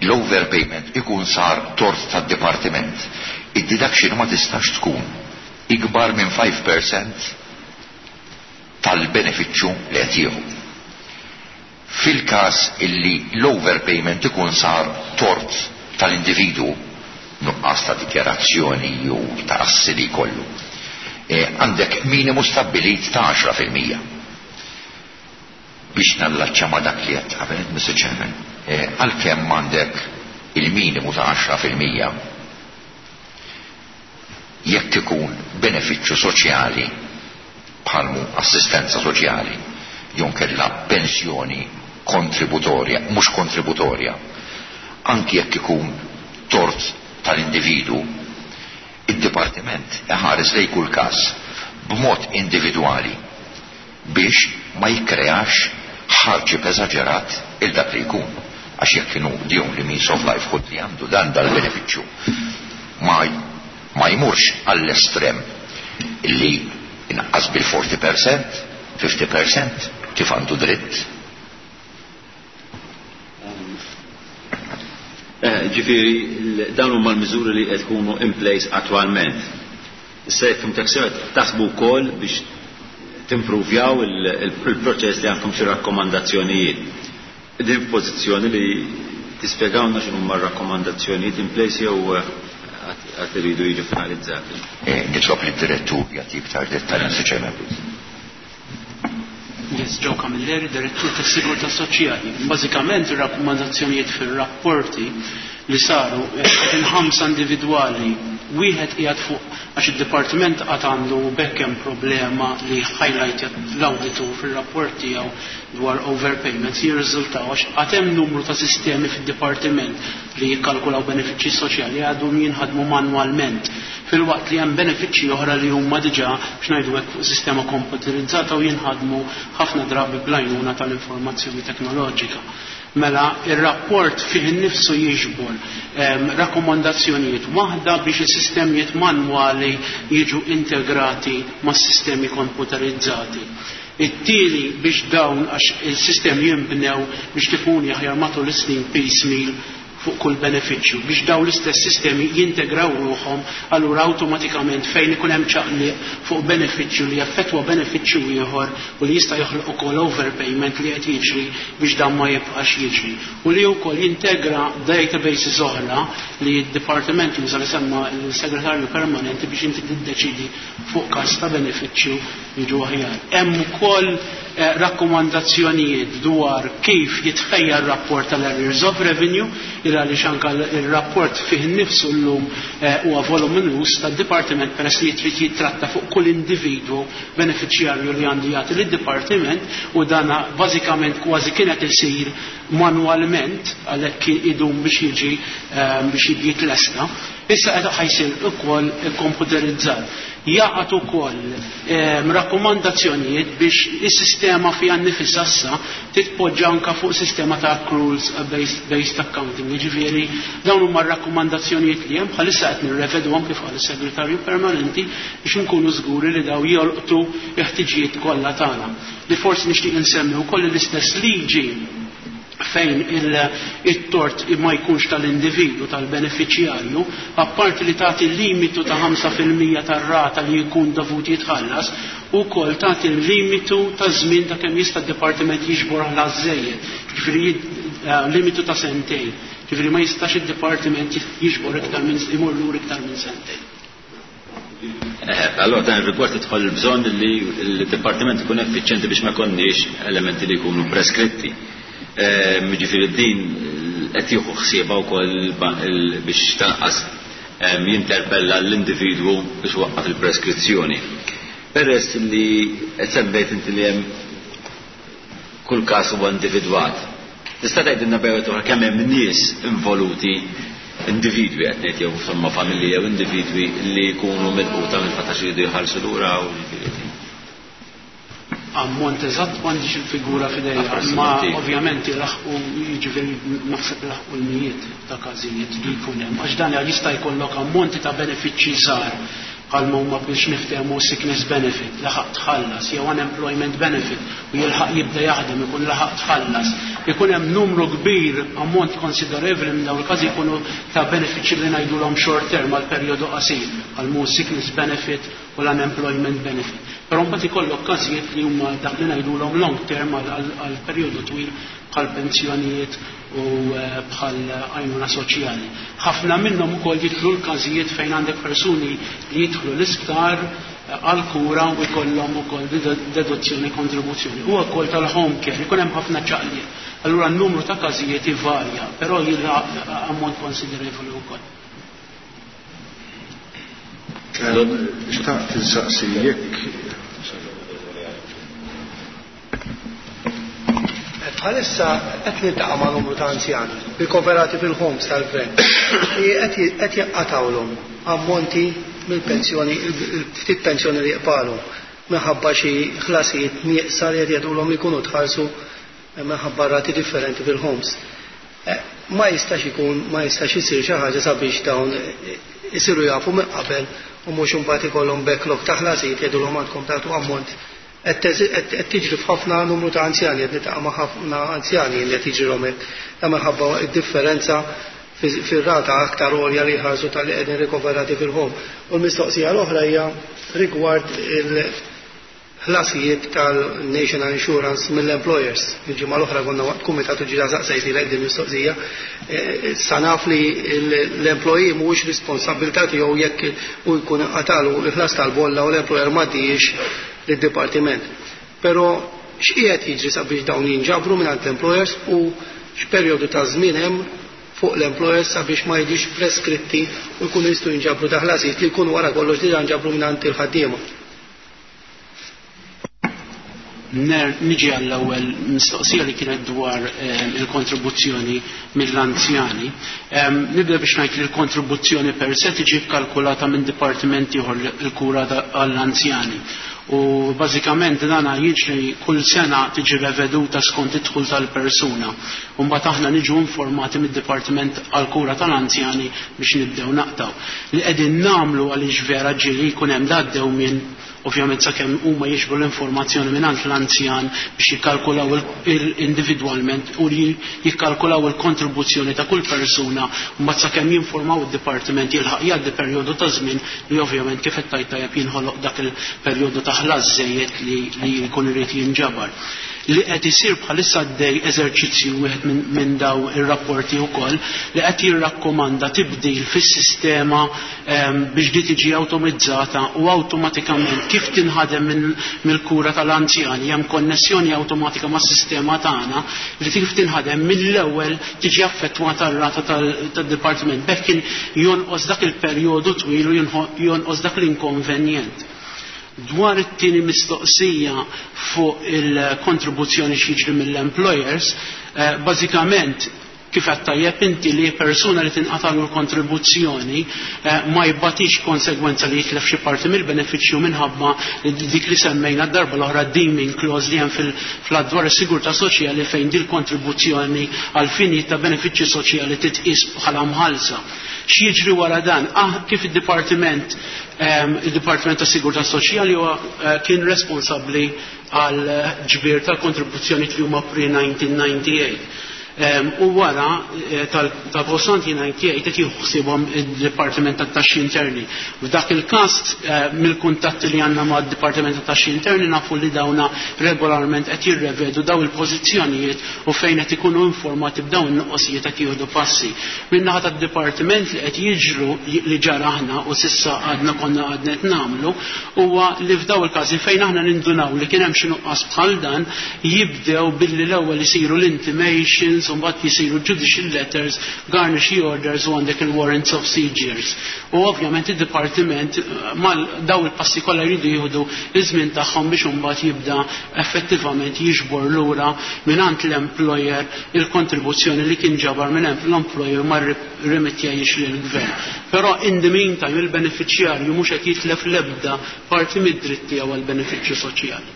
l-overpayment ikun sar tort tad-dipartiment, id-deduction ma tistax tkun ikbar minn five percent tal-benefiċċju li qed jieħu. Fil-każ illi l-overpayment ikun sar tort tal-individu, nuqqas ta' dikjarazzjoni jew ta' assi li jkollu, e, għandek minimu stabbilit ta' għaxra fil-mija. Biex nallaċċa ma' dak li qed qabel, Mister Chairman, e, għalkemm għandek il-minimu ta' għaxra fil-mija, jekk ikun benefiċċju soċjali bħalmu assistenza soċjali jew kella pensjoni kontributorja, mhux kontributorja, anki jekk ikun tort tal-individu, id-dipartiment iħares lejn kull każ b'mod individwali biex ma jikkreax hardship eżaġerat il dak li jkun. Għax jekk kienu the only means of livelihood li għandu dan dal-benefiċċju ma, ma jmurx għall-estrem li inqas bil-around forty percent, fifty percent, kif għandu dritt. Eh, ġifieri, dawn huma l-miżuri li qed ikunu in place attwalment. Issa jekk fhimtek sew, taħsbu wkoll biex timprovjaw il-proċess li għandkom xi rakkomandazzjonijiet. Din pożizzjoni li tispjegawna x'inhu huma r-rakkomandazzjonijiet in place jew għad iridu jiġu finalizzati? Eh, nitlob li direttur jagħti iktar dettalji, sinċerament. Yes, Joe Camilleri, direttur tas Sigurtà Soċjali. Bażikament ir-rakkomandazzjonijiet fir-rapporti li saru qed ħamsa individwali, wieħed qiegħed fuq għax id-dipartiment qatt għandu bekk hemm problema li highlight l-awditu fir-rapport tiegħu dwar overpayments jirriżultaw għax għad hemm numru ta' sistemi fid-dipartiment li jikkalkulaw benefiċċji soċjali għadhom jinħadmu manwalment, filwaqt li hemm benefiċċji oħra li huma diġà, x'ngħidu hekk, fuq sistema komputerizzata u jinħadmu ħafna drabi bl-għajnuna tal-informazzjoni teknoloġika. Mela, il-rapport fih innifsu jiġbor um, rakkomandazzjonijiet, waħda biex is-sistemijiet manwali jiġu integrati mas sistemi komputerizzati. It-tieni biex dawn, għax il-sistemi jinbnew biex tifuni aħjar matul is-snin piecemeal fuq kull benefiċċju, biex daw l-istess sistemi jintegraw ruħhom, allura awtomatikament fejn ikun hemm ċaqliq fuq benefiċċju li jaffettwa benefiċċju ieħor u li jista' joħloq ukoll overpayment li qed jiġri, biex dan ma jibqax jiġri. U li wkoll jintegra databases oħra li d-dipartiment juża li semma l-segretarju permanenti biex inti tiddeċidi fuq każ ta' benefiċċju jiġu aħjar. Hemm ukoll eh, rakkomandazzjonijiet dwar kif jitħejja r-rapport tal-arrears of revenue, il għaliex anka il-rapport fih innifsu llum eh, huwa voluminus tad-dipartiment peress li jitrid jitratta fuq kull individwu beneficjarju li għandu jagħti lid-dipartiment, u dana bażikament kważi kienet isir manwalment, għalhekk idum biex jiġi eh, biex jiġi jitlesta. Issa qed ħa jsir ukoll komputerizzat. Jaqgħet ukoll ehm, rakkomandazzjonijiet biex is-sistema fiha nnifisha issa titpoġġa anka fuq sistema ta' accruals based, based accounting. Jiġifieri dawn huma r-rakkomandazzjonijiet li hemm bħalissa qed nirrevedhom kif qal is-segretarju permanenti biex inkunu żguri li daw jolqtu l-ħtiġijiet kollha tagħna. Li forsi nixtieq insemmi wkoll l-istess liġi fejn il-tort ma jkunx tal-individu, tal-beneficjarju, apparti li tagħti limitu ta' ħamsa fil-mija tar-rata li jkun dovut jitħallas, ukoll tagħti l-limitu ta' żmien ta' kemm jista' d-dipartiment jiġbor ħlas żejjed, ġifieri limitu ta' sentejn. Ġifieri ma jistax id-dipartiment jiġbor iktar minn imur lura iktar minn sentejn. Allora dan ir-rigward tidħol il-bżonn li l-dipartiment ikun effiċjenti biex ma jkollniex elementi li jkunu preskritti. Ġifieri din qed jieħu ħsiebha wkoll biex tanqas jinterpella l-individwu biex waqqaf il-preskrizzjoni. Peress li qed semmejt inti li hemm kull każ huwa individwat. Tista' tgħidilna bejn oħra kemm hemm nies involuti, individwi qed ngħid jew insomma familji jew individwi li jkunu milquta mill-fatt għax iridu jħallsu lura u ġifieri. Ammont eżatt m'għandix il-figura f'idejja, ma ovvjament jilaħqu, jiġifieri naħseb jilaħqu l-mijiet ta' każijiet li jkun hemm. Għax dan jista' jkollok ammonti ta' benefiċċji żgħar bħalma huma biex niftehmu sickness benefit, laħaq tħallas, jew unemployment benefit, u jilħaq jibda jaħdem ikun laħaq tħallas. Ikun hemm numru kbir, ammont konsiderevoli minn dawn il-każi jkunu ta' benefiċċji li ngħidulhom short term għal perjodu qasir, għal mu sickness benefit u l-unemployment benefit. Però mbagħad ikollok każijiet li huma dak li ngħidulhom long term għal perjodu twil bħal pensjonijiet u bħal għajnuna soċjali. Ħafna minnhom ukoll jidħlu l-każijiet fejn għandek persuni li jidħlu l-isptar għal kura u jkollhom ukoll deduzzjoni kontribuzzjoni. U wkoll tal-home care, ikun hemm ħafna ċaqliet. Allura n-numru ta' każijiet ivarja, però jilħaq ammont konsiderevoli wkoll. Xtaqt insaqsi jekk bħalissa qed niltaqa' ma' numru ta' anzjani rikoverati fil-homes tal-gvern li qed jaqqatawlhom ammonti mill-pensjoni, il-ftit pensjoni li jqbalhom minħabba xi ħlasijiet nieqsa li qed jgħidulhom li jkunu tħallsu minħabba rati differenti fil-homes. Ma jistax ikun, ma jistax isir xi ħaġa sabiex dawn isiru jafu minn qabel u mhux imbagħad ikollhom backlog ta' ħlasijiet jgħidulhom għandkom tagħtu ammont. Qed tiġri f'ħafna numru ta' anzjani, qed niltaqa' ma' ħafna anzjani li qed jiġrilhom hekk. Ta' minħabba d-differenza fir-rata aktar għolja li jħarsu tal-li qegħdin rikoverati fil-home. U l-mistoqsija l-oħra hija rigward il-ħlasijiet tal-National Insurance mill-employers. Il-ġimgħa l-oħra konna waqt kumitat u ġira saqsejti lek din mistoqsija. Sa naf li l-employee mhuwiex responsabilità tiegħu jekk hu jkun qatalu l-ħlas tal-bolla u l-employer m'għaddiex lid-dipartiment. Però x'qiegħed jiġri sabiex dawn jinġabru mingħand l-employers u x'perjodu ta' żmien hemm fuq l-employers sabiex ma jiġix preskritti u jkunu jistgħu jinġabru daħlasijiet li jkunu wara kollox diġà nġabru mingħand il-ħaddiema. Niġi għall-ewwel mistoqsija li kienet dwar il-kontribuzzjoni mill-anzjani. Nibda biex ngħid li l-kontribuzzjoni per se tiġi kkalkulata minn dipartiment ieħor il-kura għall-anzjani. U bażikament dan jiġri kull sena tiġi reveduta skont id-dħul tal-persuna. U mbagħad aħna niġu informati mid-dipartiment għall-kura tal-anzjani biex nibdew naqtaw. Li qegħdin nagħmlu għaliex vera ġieli jkun hemm għaddew minn ovvjament sakemm huma jiġbru l-informazzjoni mingħand l-anzjan biex jikkalkulaw individwalment u li jikkalkulaw il-kontribuzzjoni ta' kull persuna, u mbagħad sakemm jinformaw id-dipartiment jilħaq jgħaddi perjodu ta' żmien li ovvjament kif qed tgħid tajjeb jinħoloq dak il-perjodu ta' ħlas żejjed li jkun irid jinġabar. Li qed isir bħalissa għaddej eżerċizzju wieħed minn daw ir-rapporti wkoll li qed jirrakkomanda tibdil fis-sistema biex di tiġi awtomizzata u awtomatikament kif tinħadem mill-kura tal-anzjani hemm konnessjoni awtomatika mas-sistema tagħna li kif tinħadem mill-ewwel tiġi affettwata r-rata tad-dipartiment. B'hekk jonqos dak il-perjodu twil u jonqos dak l-inkonvenjent. Dwar it-tieni mistoqsija fuq il-kontribuzzjoni x'jiġri mill-employers, bażikament Kif qed tajjeb inti li persuna li tinqatalu l-kontribuzzjoni eh, ma jbatix konsegwenza li jitlef xi parti mill-benefiċċju minħabba dik li semmejna d-darba l-oħra deeming clause li hemm fil-dwar is-sigurtà soċjali fejn din kontribuzzjoni għal finijiet ta' benefiċċji soċjali titqis bħala mħallsa. X'jiġri wara dan? Ah, kif id-Dipartiment ehm, il-Dipartiment ta' Sigurtà Soċjali huwa eh, kien responsabbli għal ġbir tal-kontribuzzjoni li huma pre-nineteen ninety-eight. U wara eh, tal-post nineteen ninety-eight qed jieħu ħsiebhom id-Dipartiment tat-Taxxi Interni. F'dak il-każ, eh, mill-kuntatti li għandna mad-Dipartiment tat-Taxxi Interni, nafu li dawna regolarment qed jirrevedu daw il-pożizzjonijiet u fejn qed ikunu informati b'dawn in-nuqqosijiet qed jieħdu passi. Min-naħa tad-dipartiment li qed jiġru, li ġara aħna u s'issa għadna konna għadna qed nagħmlu, huwa li f'daw il-każi fejn aħna nindunaw li kien hemm xi nuqqas bħal dan, jibdew billi l-ewwel isiru l-intimations, u mbagħad jisiru judicial letters, garnishee orders u għandek il-warrants of seizures. U ovvjament id-dipartiment eh, mal daw il-passi kollha jridu jieħdu iż-żmien tagħhom biex imbagħad jibda effettivament jiġbor lura mingħand l-employer il-kontribuzzjoni li kien ġabar minn l-employer ma remittjajiex lill-gvern. Però in the meantime il-beneficjarju mhux qed jitlef l-ebda parti mid-dritt tiegħu għall-benefiċċju soċjali.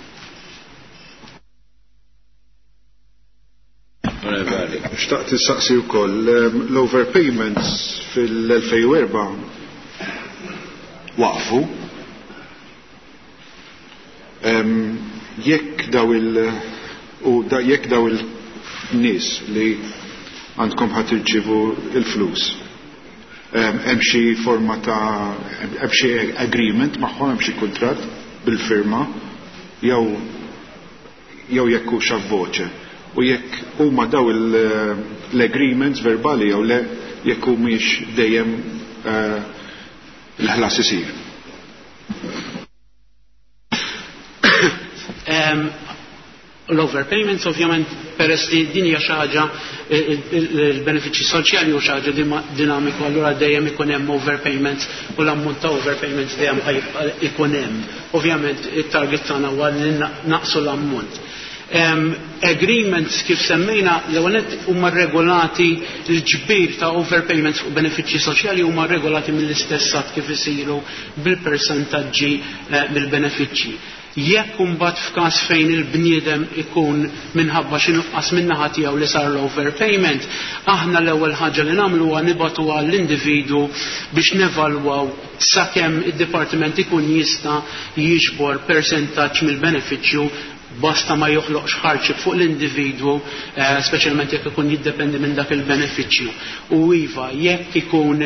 Xtaqt issaqsi wkoll ehm, l-overpayments fil-elfejn u erbgħa waqfu. Ehm, jekk daw il u da, jekk daw il-nies li għandkom ħat irċivu il-flus, ehm, hemm xi forma ta' hemm xi agreement magħhom, hemm xi kuntratt bil-firma jew jew jekk hux voce, u jekk huma daw l-agreements verbali jew le, jekk humiex dejjem eh, l-ħlas isir. Em, L-overpayments ovvjament, peress li din hija xi ħaġa, il-benefiċċji soċjali hu xi ħaġa dinamiku, allura dejjem ikun hemm overpayments u l-ammont ta' overpayments dejjem ikun hemm. Ovvjament it-target tagħna huwa li naqsu l-ammont. Um, agreements kif semmejna l-ewwel huma regolati, l-ġbir ta' overpayments fuq benefiċċji soċjali huma regolati mill-istess att kif isiru bil-persentaġġi eh, mill-benefiċċji. Jekk imbagħad f'każ fejn il-bniedem ikun minħabba xi nuqqas min-naħa tiegħu li sar l-overpayment, aħna l-ewwel ħaġa li nagħmlu huwa nibagħtu għall-individwu biex nevalwaw sakemm id-dipartiment ikun jista' jiġbor persentaġġ mill-benefiċċju, basta ma joħloqx hardship fuq l-individwu, eh, speċjalment jekk ikun jiddependi minn dak il-benefiċċju. U iva, jekk ikun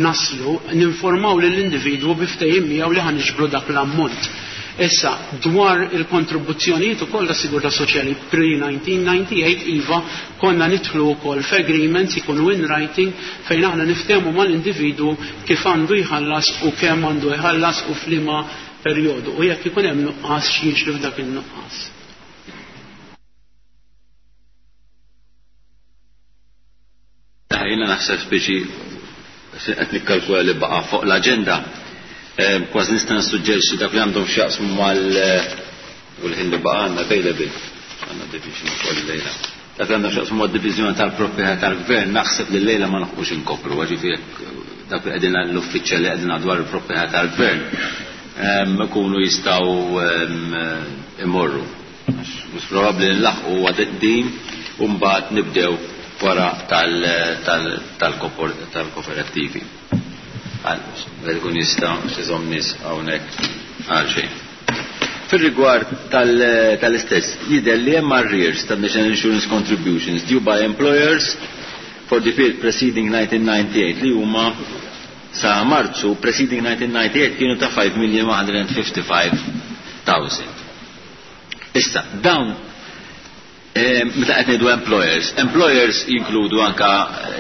naslu, ninformaw lill-individwu bi ftehim miegħu li ħa niġbru dak l-ammont. Issa, dwar il-kontribuzzjonijiet ukoll ta' sigurtà soċjali pre-nineteen ninety-eight, iva, konna nidħlu wkoll f'agreements ikunu in writing fejn aħna niftehmu mal-individwu kif għandu jħallas u kemm għandu jħallas u f'liema perjodu. U jekk ikun hemm nuqqas, x'jiġri f'dak in-nuqqas. Jiena naħseb speċi qed nikkalkula li baqa' fuq l-aġenda, kważi nista' nissuġġerixxi dak li għandhom x'jaqsmu mal u l-ħin li baqa' għandna available, għandna division ukoll lejla. Dak li għandhom x'jaqsmu mad-diviżjoni tal-proprjetà tal-gvern, naħseb li lejla ma nħuqux inkopru, ġifieri dak li qegħdin l-uffiċjali li qegħdin dwar il-proprjetà tal-gvern ikunu jistgħu imorru. Mhux probabbli nlaħqu din u mbagħad nibdew wara tal-kooperattivi. Għal jista' xi nies hawnhekk għal xejn. Fil-rigward tal-istess, jidher li hemm arrears ta' National Insurance Contributions due by employers for the period preceding nineteen ninety-eight li huma sa Marzu preceding nineteen ninety-eight kienu ta' five million one hundred fifty-five thousand. Issa, dawn eh, meta qed ngħidu employers, employers jinkludu anka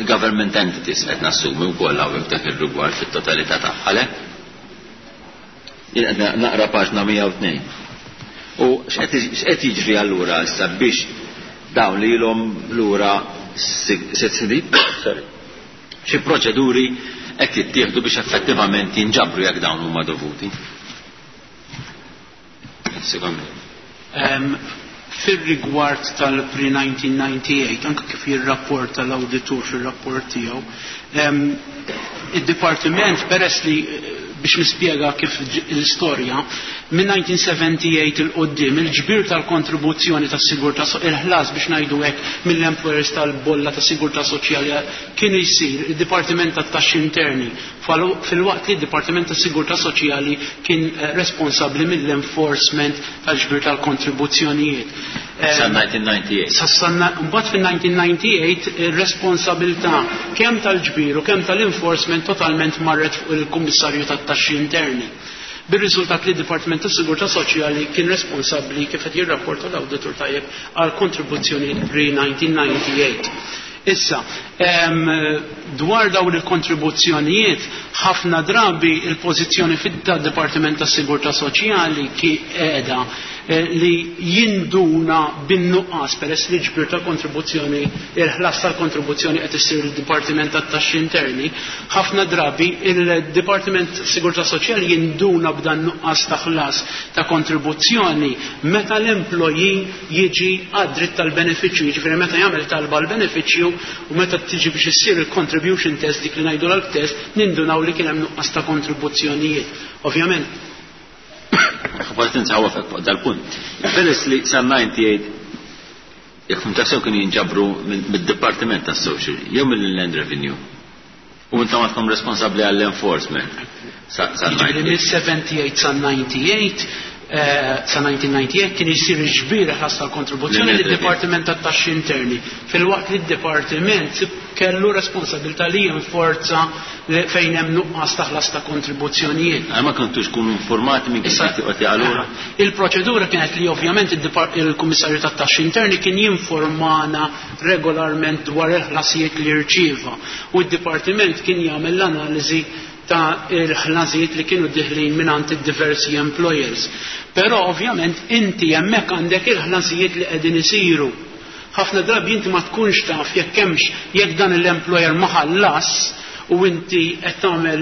government entities, qed nassumi wkoll hawnhekk dak ir-rigward fit-totalità tagħha, le? Jien qed naqra paġna mija u tnejn. U x'qed jiġri allura issa biex dawn li ilhom lura sitt snin, sorry, xi proċeduri qed jittieħdu biex effettivament jinġabru jekk dawn huma dovuti? Um, Fil-rigward tal-pre-nineteen ninety-eight, anke kif jirrapporta l-auditur fil-rapport tiegħu, id-dipartiment, peress li, biex nispjega kif l-istorja, minn nineteen seventy-eight 'il quddiem il-ġbir tal-kontribuzzjoni tas-sigurtà, il-ħlas biex ngħidu hekk mill-employers tal-bolla tas sigurtà soċjali kien jsir id-Dipartiment tat-Taxxi Interni, filwaqt li d-Dipartiment tas Sigurtà Soċjali kien eh, responsabbli mill-enforcement tal-ġbir tal-kontribuzzjonijiet. Sa nineteen ninety-eight. Sa mbagħad fil-nineteen ninety-eight ir-responsabilità kemm tal-ġbir u kemm tal-enforcement totalment marret fuq il-Kummissarju tat-Taxxi Interni. Bir-riżultat li d-Dipartiment tas Sigurtà Soċjali kien responsabbli, kif qed jirrapporta l-awditur tajjeb, għal kontribuzzjoni pre-nineteen ninety-eight. Issa, dwar dawn il-kontribuzzjonijiet, ħafna drabi il-pożizzjoni fid-Dipartiment tas Sigurtà Soċjali ki qiegħda eh, li jinduna bin-nuqqas, peress li ġbir ta' kontribuzzjoni, il-ħlas tal-kontribuzzjoni qed issir il-Dipartiment tat-Taxxi Interni, ħafna drabi il-Dipartiment Sigurtà Soċjali jinduna b'dan nuqqas ta' ħlas ta' kontribuzzjoni meta l-employee jiġi għad-dritt tal-benefiċċju, jiġifieri meta jagħmel talba l-benefiċċju u meta tiġi biex issir il-contribution test, dik li ngħidu l-test, nindunaw li kien hemm nuqqas ta' kontribuzzjonijiet. Ovvjament, Forsi nsawwafek fuq dal-punt. Peress li sa ninety-eight, jekk fhimt sew, kienu jinġabru mid-Dipartiment tas Social jew mill-Inland Revenue. U intom għadkom responsabbli għall-enforcement. Sa Jiġifieri mill-sebgħa u sebgħin sa disgħa u disgħin, eh, sa nineteen ninety-eight kien jisir ġbir ħlas tal-kontribuzzjoni lid-Dipartiment tat-Taxxi Interni. Filwaqt li d-Dipartiment kellu responsabilità li jinforza fejn hemm nuqqas ta' ħlas ta' kontribuzzjonijiet. Ma kontux kunu informati minn kif qed allura? Il-proċedura kienet li ovvjament il-Kummissarju tat-Taxxi Interni kien jinformana regolarment dwar il-ħlasijiet li rċieva u d-Dipartiment kien jagħmel l-analiżi ta' il-ħlasijiet li kienu diħlin minn id-diversi employers. Però ovvjament inti hemmhekk għandek il-ħlasijiet li qegħdin isiru. Ħafna drabi inti ma tkunx taf jekk hemmx, jekk dan l-employer ma ħallas u inti qed tagħmel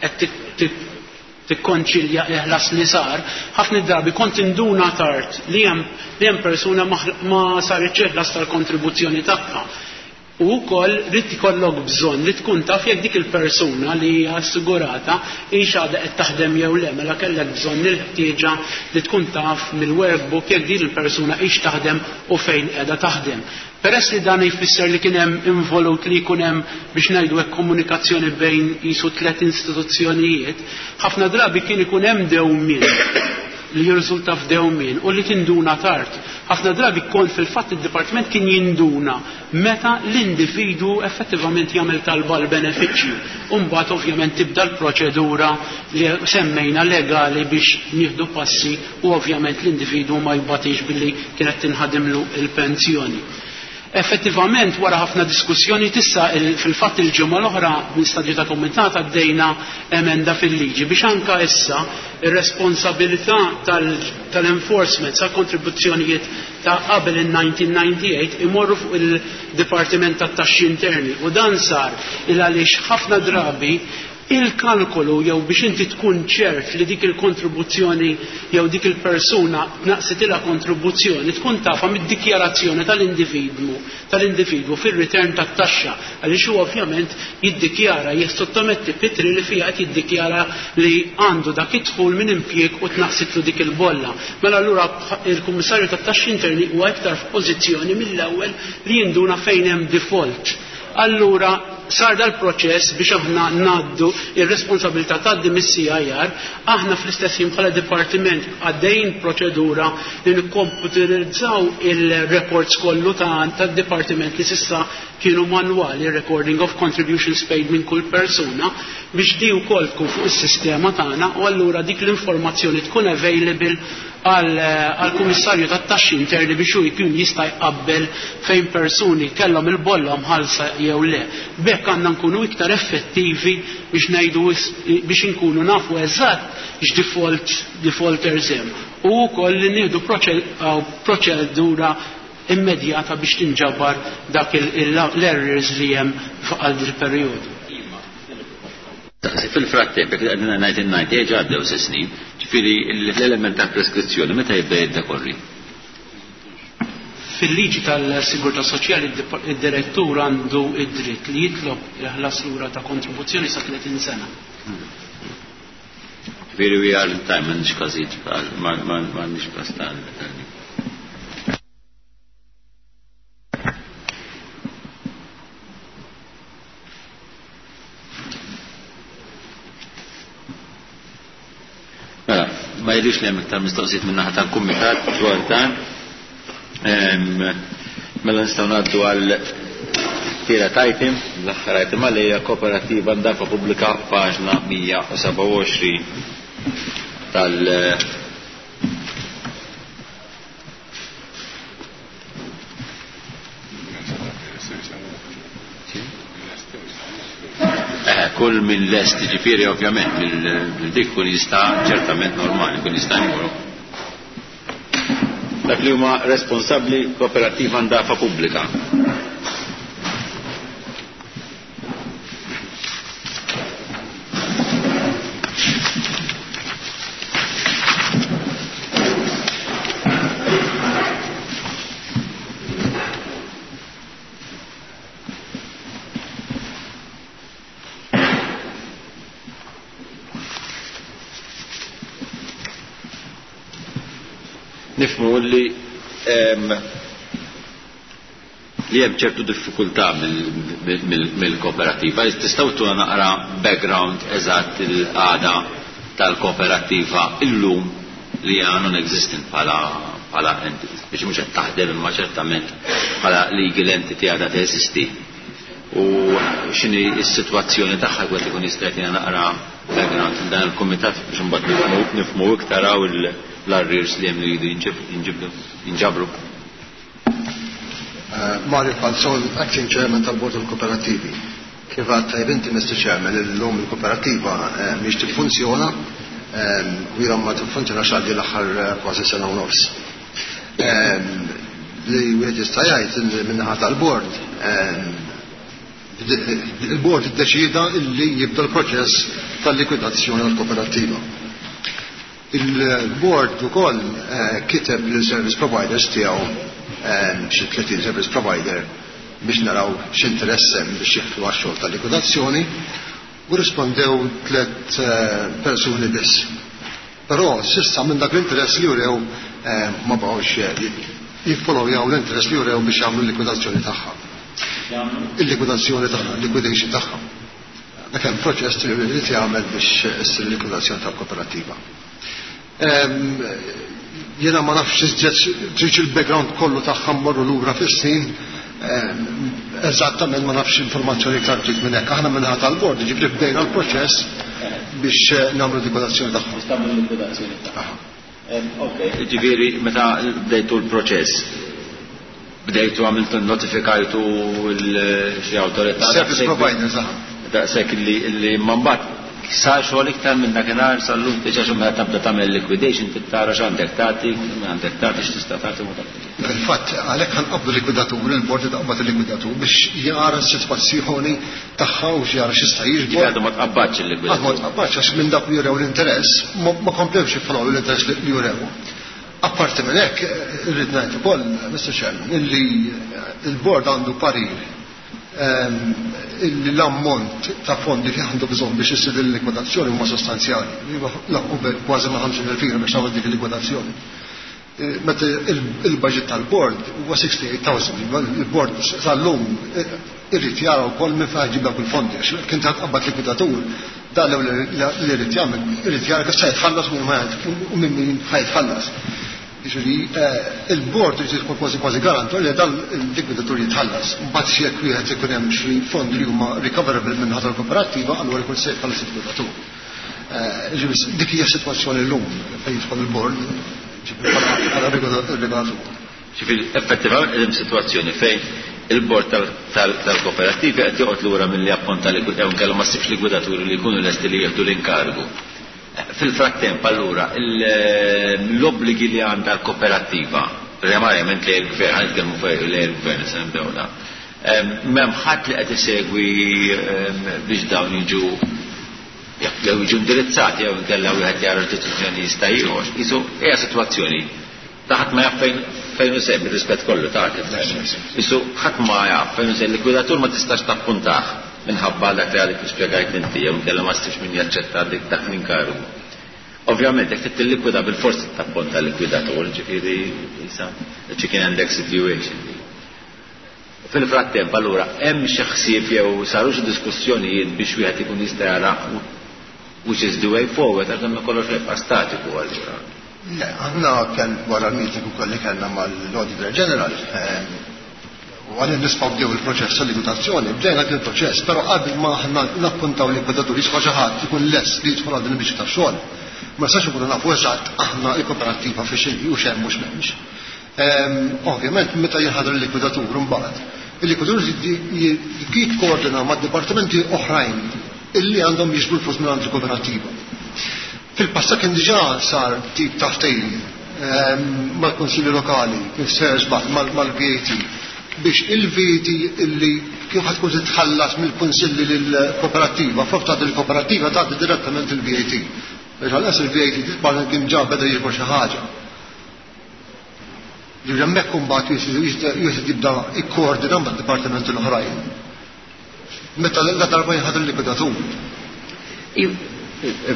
qed tikkonċilja il-ħlas li sar, ħafna drabi kont induna tard li hemm li hemm persuna ma saritx il-ħlas tal-kontribuzzjoni tagħha. U wkoll rrid ikollok bżonn li tkun taf jekk dik il-persuna li hija assigurata hix għadha qed taħdem jew le, mela kellek bżonn il-ħtieġa li tkun taf mill-workbook jekk din il-persuna hix taħdem u fejn qiegħda taħdem. Peress li dan jfisser li kien hemm involut li jkun hemm, biex ngħidu hekk, komunikazzjoni bejn qisu tliet istituzzjonijiet, ħafna drabi kien ikun hemm dewmien li jirriżulta f'dewmien u li tinduna tard. Ħafna drabi kont fil-fatt id-dipartiment kien jinduna meta l-individu effettivament jagħmel talba l-benefiċċju. Umbagħad ovvjament tibda l-proċedura li semmejna legali biex nieħdu passi u ovvjament l-individu ma jbatix billi kienet tinħadimlu il-pensjoni. Effettivament, wara ħafna diskussjoni tissa, fil-fatt il-ġimgħa l-oħra minn stadju ta' kumitat għaddejna emenda fil-liġi biex anka issa ir-responsabilità tal-enforcement sa' kontribuzzjonijiet ta' qabel il-nineteen ninety-eight imorru fuq il-Dipartiment tat-Taxxi Interni, u dan sar il għaliex ħafna drabi il-kalkolu jew biex inti tkun ċert li dik il-kontribuzzjoni jew dik il-persuna tnaqsitilha kontribuzzjoni tkun tafa mid-dikjarazzjoni tal-individwu tal-individwu fir-return tat-taxxa, għaliex huwa ovvjament jiddikjara, jissottometti pitri li fiha qed jiddikjara li għandu dak id-dħul minn impjieg u tnaqsitlu dik il-bolla. Mela allura il-Kummissarju tat-Taxxi Interni huwa iktar f'pożizzjoni mill-ewwel li jinduna fejn hemm default. Allura sar dal-proċess biex aħna naddu ir-responsabilità tgħaddi mis-C I R. Aħna fl-istess ħin bħala dipartiment għaddejn proċedura li nikkomputerizzaw il-records kollu ta' tad-dipartiment li s'issa kienu manwali, recording of contributions paid minn kull persuna, biex di wkoll tkun fuq is-sistema tagħna u allura dik l-informazzjoni tkun available għal-Kummissarju tat-Taxxi Interni biex hu jkun jista' jqabbel fejn persuni kellhom il-bolla mħallsa jew le. B'hekk għandna nkunu iktar effettivi biex ngħidu biex inkunu nafu eżatt x'default defaulters hemm. U wkoll li nieħdu proċedura immedjata biex tinġabar dak l-errors li hemm għal dil perjodu. Fil-frattemp, għedna nineteen ninety, għaddew snin, ġifieri l-element ta' preskrizzjoni, meta jibda jiddekorri? Fil-liġi tal-Sigurtà Soċjali id-direttur għandu id-dritt li jitlob il-ħlas lura ta' kontribuzzjoni sa tletin sena. Ġifieri we are in time, m'għandniex każijiet m'għandniex każ tal. Mela, ma jidhirx li hemm iktar mistoqsijiet min-naħa tal-kumitat dwar dan. Mela nistgħu ngħaddu għal tielet item, l-aħħar item għalija kooperativa ndafa pubblika paġna mija u sebgħa u għoxrin tal kull minn lest, ġifieri ovvjament mill dik kun jista' ċertament normali, kun jista' jmur. Dak li huma responsabbli kooperativa ndafa pubblika. Nifhmu li li hemm ċertu diffikultà mill-kooperativa. Tistgħu tuna naqra background eżatt il-qagħda tal-kooperativa illum li hija non-existent bħala bħala entity, biex mhux qed taħdem imma ċertament bħala legal entity għadha teżisti. U x'inhi s-sitwazzjoni tagħha kwet ikun jista' jagħtina naqra background dan il-kumitat biex imbagħad nifhmu iktar hawn l-arrears li hemm li jridu jinġabru. Mario Falzon, Acting Chairman tal-Bord tal-Kooperativi. Kif għad tajb inti, Mister Chairman, illum il-kooperativa mhix tiffunzjona u ilha ma tiffunzjonax għal l-aħħar kważi sena u nofs. Li wieħed jista' jgħid min-naħa tal-bord, il-bord iddeċida li jibda l-proċess tal-likwidazzjoni tal-kooperativa. Il-board ukoll kiteb lil service providers tiegħu xi tletin service provider biex naraw x'interess hemm biex jieħdu għax-xogħol tal-likwidazzjoni u rispondew tliet persuni biss. Però s'issa minn dak l-interess li jurew ma baqgħux jiffollowjaw l-interess li jurew biex jagħmlu l-likwidazzjoni tagħha. Il-likwidazzjoni tagħha, liquidation tagħha. Dak hemm proċess li jrid jagħmel biex issir il-likwidazzjoni tal-kooperativa. Jiena ma nafx trid il-background kollu tagħha mmorru lura fis-snin, eżattament ma nafx informazzjoni iktar trid minn hekk. Aħna minħa tal-bord, jiġifieri bdejna l-proċess biex nagħmlu likwidazzjoni tagħha. Biex tagħmlu likwidazzjoni tagħha. Ok, jiġifieri meta bdejtu l-proċess, bdejtu għamiltu notifikajtu xi awtorità. Service providers, aha. Daqshekk li ma mbagħad sar xogħol iktar minn dakinhar sal-lum diġà xi meta tibda tagħmel liquidation trid tara x'għandek tagħti, għandek tagħti x'tista' tagħti u ma tagħtix. Fil-fatt għalhekk ħanqabdu likwidatur, il-bord taqbad il-likwidatur biex jara s-sitwazzjoni tagħha u jara x'jista' jiġbor. Ġifieri għadu ma tqabbadx il-likwidatur. Għadu ma tqabbadx għax minn dak li jurew l-interess ma komplewx jiffollow l-interess li jurew. Apparti minn hekk irrid ngħid ukoll, Mister Chairman, illi il-bord għandu parir l-ammont ta' fondi li għandu bżonn biex issir il-likwidazzjoni huma sostanzjali. Laqqu kważi ma' ħamsin elf lira biex tagħmel dik il-likwidazzjoni. Meta il-budget tal-board huwa sixty-eight thousand, il-board sal-lum irid jara wkoll minn fejn ġib dawk il-fondi, għax kien ta' tqabbad likwidatur, dan li irid jagħmel, irid jara kif se jitħallas u minn min ħajtħallas. Jiġifieri il-board irid jkun kważi kważi garantur li dan il-likwidatur jitħallas. Mbagħad jekk wieħed ikun hemm xi fondi li huma recoverable minn ħadd il-kooperattiva, allura jkun se jitħallas il-likwidatur. Jiġifieri dik hija sitwazzjoni llum fejn jidħol il-board bħala regolatur. Ġifieri effettivament hemm sitwazzjoni fejn il-bord tal-kooperattivi qed joqgħod lura milli apponta jew inkella ma ssibx likwidaturi li jkunu lesti li jieħdu l-inkargu. Fil-frattemp allura l-obbligi li għandha l-kooperattiva, primarjament lejn il-gvern, ħa nitkellmu fuq lejn il-gvern se nibdew da. M'hemm ħadd li qed isegwi biex dawn jiġu jew jiġu indirizzati jew inkella wieħed jara x'deċiżjoni jista' jieħu. Qisu hija sitwazzjoni Ta' ħadd ma jaf fejn fejn hu sejjer, bir-rispett kollu ta' kif. Isu ħadd ma jaf fejn hu sejjer, likwidatur ma tistax tappuntah minħabba dak li għadek kif spjegajt inti, jew inkella ma ssibx min jaċċetta dik dak l-inkarigu. Ovvjament, jekk trid tillikwida bil-forsi tappunta likwidatur, ġifieri isa chicken and egg situation. Fil-frattemp, allura, hemm xi ħsieb jew saru xi diskussjonijiet biex wieħed ikun jista' jara which is the way forward, għax dan kollox jibqa' statiku allura. Le, aħna kell wara l-meeting ukoll li kellna mal-Auditor General, u għalli nisfaw bdew il-proċess tal-likwidazzjoni, bdejna dak il-proċess, però qabel ma aħna nappuntaw likwidatur jisfa' xi ħadd ikun lest li jidħol għal din il-biċċa tax-xogħol. Ma nistax ikunu nafu eżatt aħna l-kooperattiva fi xejn u x'hemm u x'm'hemmx. Ovvjament meta jinħadar il-likwidatur imbagħad, il-likwidatur jikkoordina ma' dipartimenti oħrajn illi għandhom jiġbru l-flus minn għand il-kooperattiva. Fil-passat kien diġà sar tip ta' ftehim mal-Kunsilli Lokali, kif ser żball mal-V A T, biex il-V A T illi kif ħad tkun titħallas mill-kunsilli lill-kooperattiva, flok tagħti l-kooperattiva tagħti direttament il-V A T. Biex għal il-V A T titbagħat kien ġa beda jiġbor xi ħaġa. Ġifieri hemmhekk imbagħad jista' jibda ikkoordina mad-dipartimenti l-oħrajn. Meta la darba jinħadar il-likwidatur.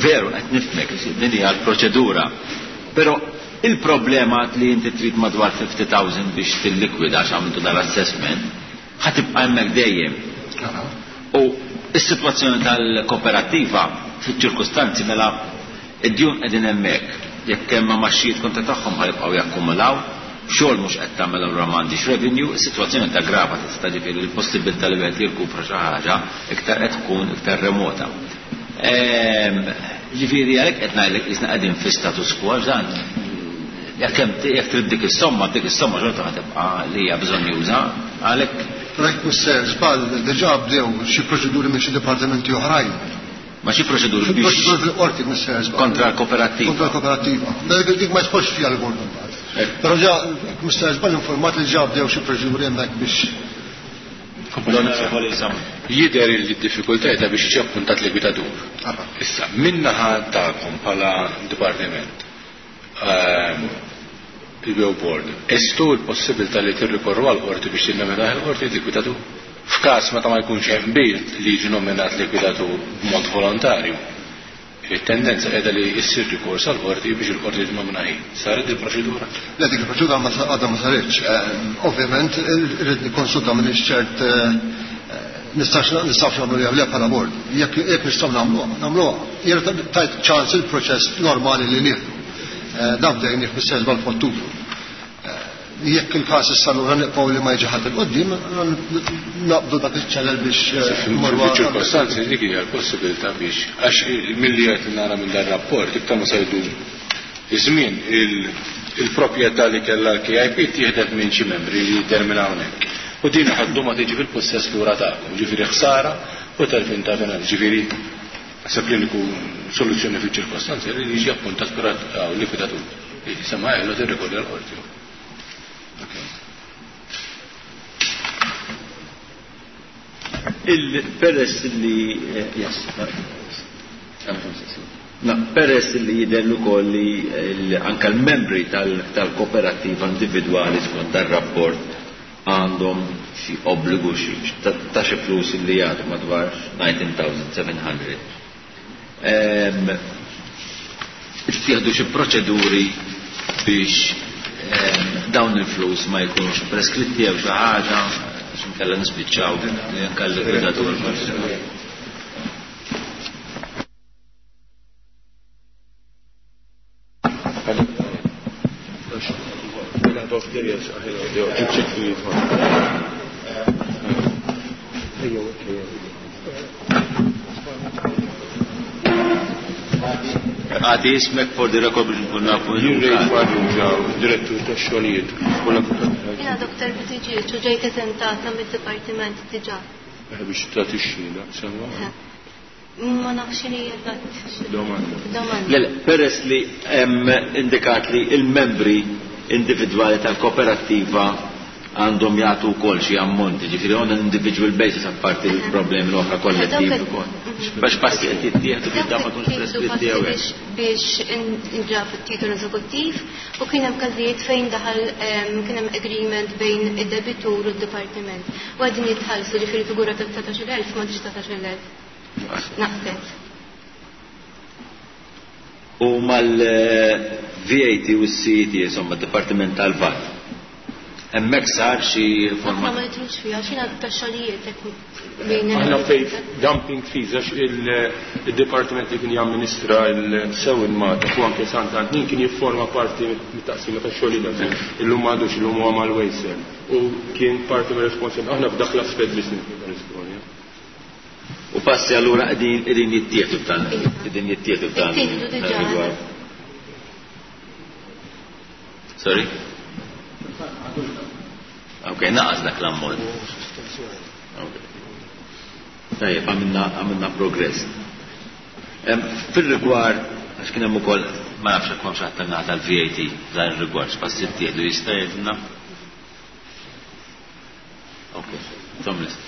Veru, qed nifhmek, din hija l-proċedura. Però il-problema li inti trid madwar fifty thousand biex tillikwida għax għamiltu dal-assessment, ħa tibqa' hemmhekk dejjem. U is-sitwazzjoni tal-kooperattiva fiċ-ċirkustanzi mela id-djun qegħdin hemmhekk. Jekk hemm imgħaxijiet kontra tagħhom ħa jibqgħu jakkumulaw, xogħol mhux qed tagħmel, allura m'għandix revenue, is-sitwazzjoni taggrava, tista' ġifieri l-possibilità li wieħed jirkupra xi ħaġa iktar qed tkun iktar remota. Ġifieri għalhekk qed ngħidlek qisna qegħdin fi status quo, għax dan jekk hemm jekk trid dik is-somma, dik is-somma xorta ħa tibqa' li hija bżonnjuża, għalhekk. Rajt mister żball, diġà bdew xi proċeduri minn xi dipartimenti oħrajn. Ma xi proċeduri biex Proċeduri fil-qorti, mister żball. Kontra l-kooperattiva. Kontra l-kooperattiva. Dik ma jidħolx fiha l-bord imbagħad. Però ġa mister żball informat li ġa bdew xi proċeduri hemmhekk biex L-Onorevoli Sam. Jidher li d-diffikultà ta' biex jiġi appuntat likwidatur. Issa, min-naħa tagħkom bħala dipartiment, ehm, il-B O Board, estu l-possibilità li tirrikorru għal qorti biex tinnomina il-qorti likwidatur? F'każ meta ma jkunx hemm qbil li jiġi nominat likwidatur b'mod volontarju, il-tendenza qiegħda li jsir rikors għal qorti biex il-qorti tinnomina hi. Saret il-proċedura? Le, dik il-proċedura ma għadha ma saritx. Ehm, Ovvjament, irrid nikkonsulta, minn ċert nistax nistax nagħmlu jew le bħala bord. Jekk jekk nistgħu nagħmluha, nagħmluha. Jiena tajt ċans il-proċess normali li nieħdu. Eh, Dan bdejnih bis-serba f'Ottubru. Eh, Jekk il-każ issa lura nibqgħu li ma jiġi ħadd 'il quddiem, naqbdu dak iċ-channel biex eh, mmorru għal- Fil-ċirkostanzi dik hija l-possibilità biex, għax milli qed nara minn dan rapport, iktar ma se jdum iż-żmien, il-proprjetà li kellha l-K I P tieħdet minn xi membri li jiddeterminaw hawnhekk. U din ħaddu ma tiġi fil-possess lura tagħkom, ġifieri ħsara u telfin ta' finanzi, ġifieri naħseb li l soluzzjoni fil-ċirkostanzi li jiġi appuntat likwidatur. Sema għellu tirrikorri għal-qorti. Il-peress li eh, yes, na, peress li jidher ukoll li l- anka l-membri tal-kooperativa individwali skont dar-rapport għandhom xi obbligu xi ta' ta' xi flus li jagħtu madwar nine thousand seven hundred. Ehm, Ittieħdu xi proċeduri biex ehm, dawn il-flus ma jkunux preskritti jew xi ħaġa, għax inkella nispiċċaw li anke l-likwidatur forsi. Għati ismek for the record biex nkun nafu. Jien Ray Farrugia, direttur tax-xogħlijiet. Jiena Doktor Buttigieg u ġejt eżentata mid-dipartiment diġà. Biex tagħti xhieda, sewwa. Ma nafx li eżatt. Domanda. Domanda. Le, le, peress li hemm indikat li il-membri individwali tal-kooperattiva għandhom jagħtu wkoll xi ammonti, ġifieri on an individual basis apparti l-problemi l-oħra kollettivi wkoll. Biex passi qed jittieħdu biex dan ma tkunx preskritti jew hekk. Biex inġab it-titolu eżekuttiv u kien hemm każijiet fejn daħal kien hemm agreement bejn id-debitur u d-dipartiment. U qegħdin jitħallsu ġifieri figura ta' dsatax-il elf ma dsatax-il elf. Naqset. U mal-V A T u s-C E T, insomma, d-Dipartiment tal-V A T. Hemmhekk sar xi forma. Aħna ma nidħlux fiha, x'inha tax-xogħlijiet hekk bejn Aħna fejn dumping fees għax il-dipartiment li kien jamministra l-sew il-Mata u anke Sant Antnin kien jifforma parti mit-taqsima tax-xogħlijiet. Illum m'għadux, illum huwa mal-Wejsel. U kien parti mir-responsabilità. Aħna f'dak l-aspett biss nirrisponja. U passi allura qegħdin qegħdin jittieħdu f'dan, qegħdin jittieħdu f'dan Jittieħdu diġà. rigward. Sorry? Ok, naqas dak l-ammont. Ok. Tajjeb, għamilna, għamilna progress. Em, fil-rigward, għax kien hemm ukoll, ma nafx hekk hawn xi ħadd tan-naħa tal-V A T f'dan ir-rigward, x'passi ttieħdu jista' jgħidilna? Ok, tom list.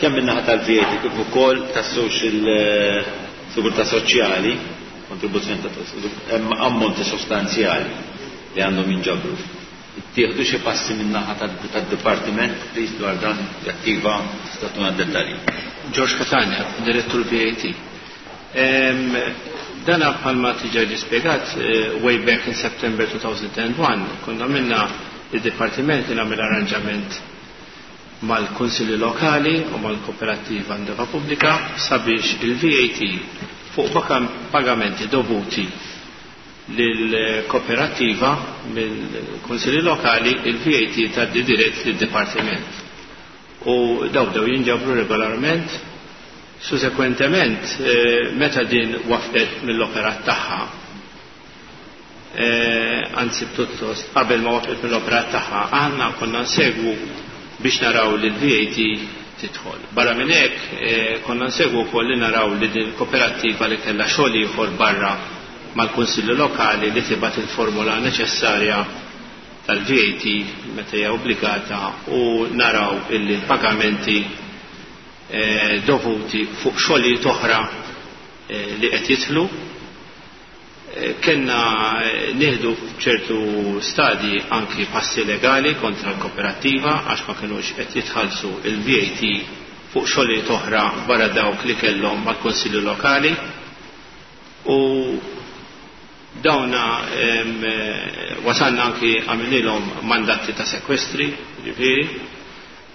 Kemm min-naħa tal-V A T kif ukoll tas-social, eh, sigurtà soċjali, kontribuzzjoni ta' hemm ammonti sostanzjali li għandhom jinġabru. Ittieħdu xi passi min-naħa tad-dipartiment, please, dwar dan jattiva tista' tuna dettalji. George Catania, direttur V A T. Em, dana bħalma tiġa ġi spjegat, eh, way back in September two thousand and one, konna minna il-dipartiment li nagħmel arranġament mal-Kunsilli Lokali u mal-Kooperattiva Andeva Pubblika sabiex il-V A T fuq baka-, pagamenti dovuti lill-kooperattiva mill-Kunsilli Lokali, il-V A T tgħaddi dirett lid-Dipartiment. U daw bdew jinġabru regolarment. Susekwentement, eh, meta din wafqet mill-operat tagħha, eh, anzi pjuttost qabel ma wafqet mill-operat tagħha, aħna konna nsegwu biex naraw li l-V A T tidħol. Barra minn hekk, eh, konna nsegwu wkoll li naraw li din kooperattiva li kellha xogħol ieħor barra mal-Kunsilli Lokali li tibgħat il-formula neċessarja tal-V A T meta hija obbligata u naraw illi l-pagamenti, eh, dovuti fuq xogħlijiet oħra, eh, li qed jidħlu. Eh, kellna, eh, nieħdu f'ċertu stadji anki passi legali kontra l-kooperattiva għax ma kinux qed jitħallsu il-V A T fuq xogħlijiet oħra barra dawk li kellhom mal-Kunsilli Lokali. U dawna, em, eh, wasalna anki għamililhom mandati ta' sekwestri, ġifieri,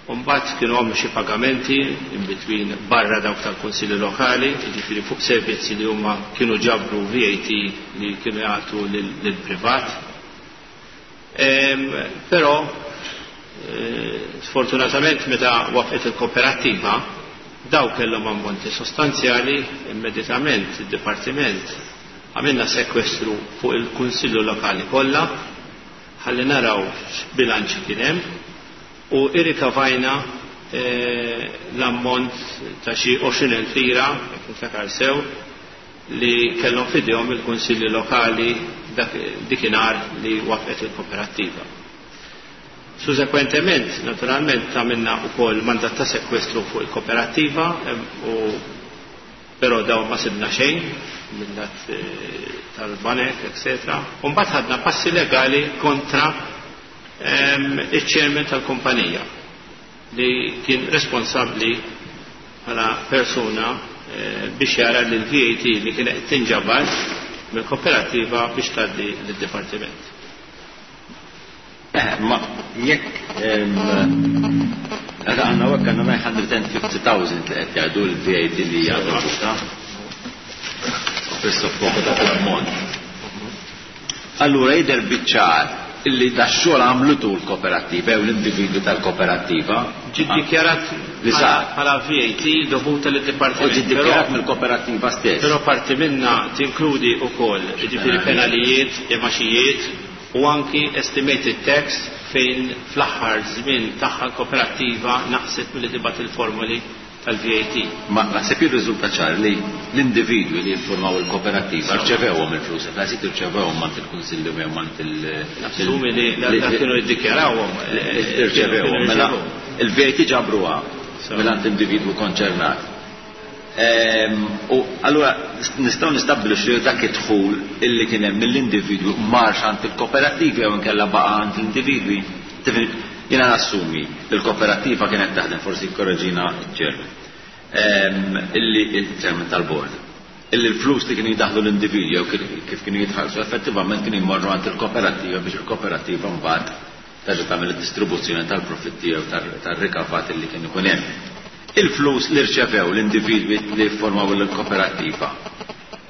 u mbagħad kienu għamlu xi pagamenti in between barra dawk tal-Kunsilli Lokali, jiġifieri fuq servizzi li huma kienu ġabru V A T li kienu jagħtu lil-privat. Em, però, eh, sfortunatament meta waqfet il-kooperattiva, daw kellhom ammonti sostanzjali, immedjatament id-dipartiment għamilna sekwestru fuq il-Kunsillu Lokali kollha, ħalli naraw x'bilanċ kien hemm, u irrikavajna, eh, l-ammont ta' xi għoxrin elf lira, jekk niftakar sew, li kellhom f'idejhom il-Kunsilli Lokali dak, dikinhar li waqfet il-kooperattiva. Susekwentement, naturalment, għamilna wkoll mandat ta' sekwestru fuq il-kooperattiva, em, u però daw ma sibna xejn mill-lat, eh, tal-banek, eccetera. U mbagħad ħadna passi legali kontra, em, iċ-chairman tal-kumpanija li kien responsabbli bħala persuna, eh, biex jara li l-V A T li kien qed tinġabar mill-kooperattiva biex tgħaddi lid-dipartiment. Eh, ma jekk, em, għada għanna għak għanna nine hundred and fifty thousand li qed jgħidu l-V A T li hija dovuta. Presso poco dak l-ammont. Allura jidher biċ-ċar illi da xogħol għamlutu l-kooperattiva jew l-individwi tal-kooperattiva. Ġi ddikjarat Li sar. Bħala V A T dovuta lid-dipartiment. U ġie ddikjarat mill-kooperattiva stess. Però parti minna tinkludi wkoll, jiġifieri, penalijiet, imgħaxijiet u anki estimated tax fejn fl-aħħar żmien tagħha l-kooperattiva naqset milli tibgħat il-formuli tal-V A T. Ma naħseb jirriżulta ċar li l-individwi li jiffurmaw il-kooperattiva rċevewhom il-flus, naħseb irċevewhom mant il-kunsilli jew mant il- Nassumi li dak kienu jiddikjarawhom. Irċevewhom, mela il-V A T ġabruha mingħand individwu konċernat. Ehm, U allura nistgħu nistabbilixxu dak id-dħul illi kien hemm mill-individwi marx għand il-kooperattivi jew inkella baqa' għand l-individwi. Tifhem, jiena nassumi li l-kooperattiva kienet taħdem, forsi korreġina ċ-chairman. Ehm, Illi il-chairman tal-board. Illi l-flus li kienu jidaħlu l-individwi jew kif kienu jitħallsu effettivament kienu jmorru għand il-kooperattiva biex il-kooperattiva mbagħad terġa' tagħmel id-distribuzzjoni tal-profitti jew tar-rikavat illi kien ikun hemm. Il-flus li rċevew l-individwi li formaw il-kooperattiva.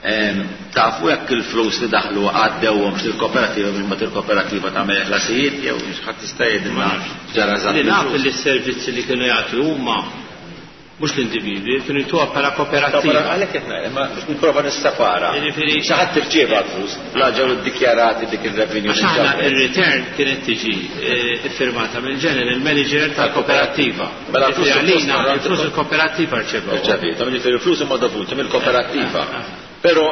Ehm, Tafu jekk il-flus li daħlu għaddewhom il-kooperattiva biex mbagħad il-kooperattiva tagħmel ħlasijiet jew ħadd jista' jgħidilna ġara eżatt Li naf il-flus? li s-servizzi li kienu jagħtu huma, mhux l-individwi, kienu jtuha bħala kooperattiva. Għalhekk qed ngħid, ma biex nipprova nissepara. Jiġifieri- Xi ħadd irċieva l-flus, la ġew iddikjarati dik ir-revenue. Għax aħna ir-return kienet tiġi eh, iffirmata mill-general manager tal-kooperattiva. Mela l-flus Jiġifieri għalina suppost il-flus il-kooperattiva rċevew. Irċevita, jiġifieri il-flus huma dovuti mill-kooperattiva. Però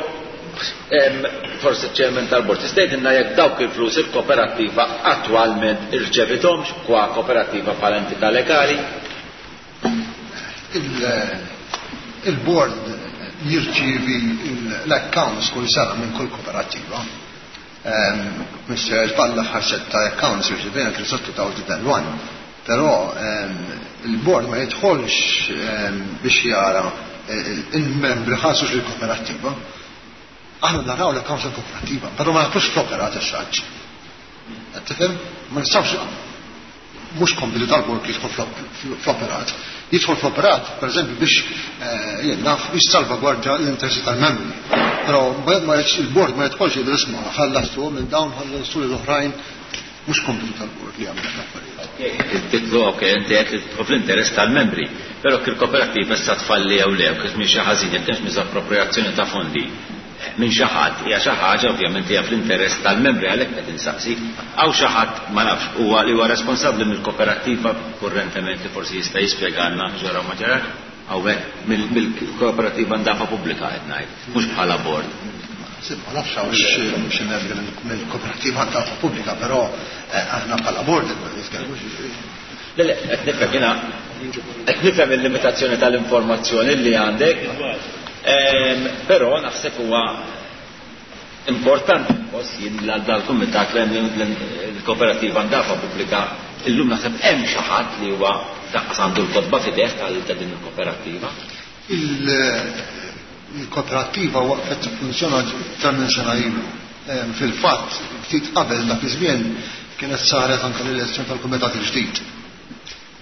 em, forsi ċ-chairman tal-bord tista' jgħidilna jekk dawk il-flus il-kooperattiva attwalment irċevithomx kwa kooperattiva bħala entità legali? Il- Il-board jirċievi l-accounts kull sena minn kull kooperattiva. Mister Palla ħarset ta' accounts irċevejna kienu sa elfejn u wieħed. Però ehm, il-board ma jidħolx ehm, biex jara il-membri ħallsux il-kooperattiva. Aħna naraw l-accounts tal-kooperattiva, però ma nafux fl-operat as-such. Tifhem? Ma nistgħux, mhux kompitu tal-bord li jidħol fl-operat. Jidħol fl-operat, per eżempju, biex eh, jien naf biex salvagwardja l-interessi tal-membri. Però ma il-bord ma jidħolx jgħidu, "Isma', ħallastu minn dawn, ħallastu l-oħrajn." Mhux kompitu tal-bord li jagħmel l-affarijiet. Il-titlu, ok, inti qed li tidħol fl-interess tal-membri, però kif il-kooperattiva issa tfalli jew le, kif minn xi ħażin, jekk hemmx miżappropriazzjoni ta' fondi minn xi ħadd, hija xi ħaġa ovvjament hija fl-interess tal-membri, għalhekk qed insaqsi. Hawn xi ħadd, ma nafx, huwa li huwa responsabbli mill-kooperattiva kurrentement li forsi jista' jispjegalna ġara ma ġara hawnhekk mill-kooperattiva Ndafa Pubblika qed ngħid, mhux bħala bord. Ma nafx hawn xi membri mill-kooperattiva Ndafa Pubblika, però eh, aħna bħala bord ma nitkellmux. Le, le, qed nifhem jiena, qed nifhem il-limitazzjoni tal-informazzjoni li għandek, ehm, però naħseb huwa importanti nħoss jien li dal-kumitat l-kooperattiva Ndafa Pubblika illum naħseb hemm xi ħadd li huwa daqqas għandu l-kotba f'idejh tal ta' din il-kooperattiva. Il-kooperattiva waqfet tiffunzjona iktar minn sena ilu. Ehm, Fil-fatt, ftit qabel dak iż-żmien kienet saret anke l-elezzjoni tal-kumitat il-ġdid.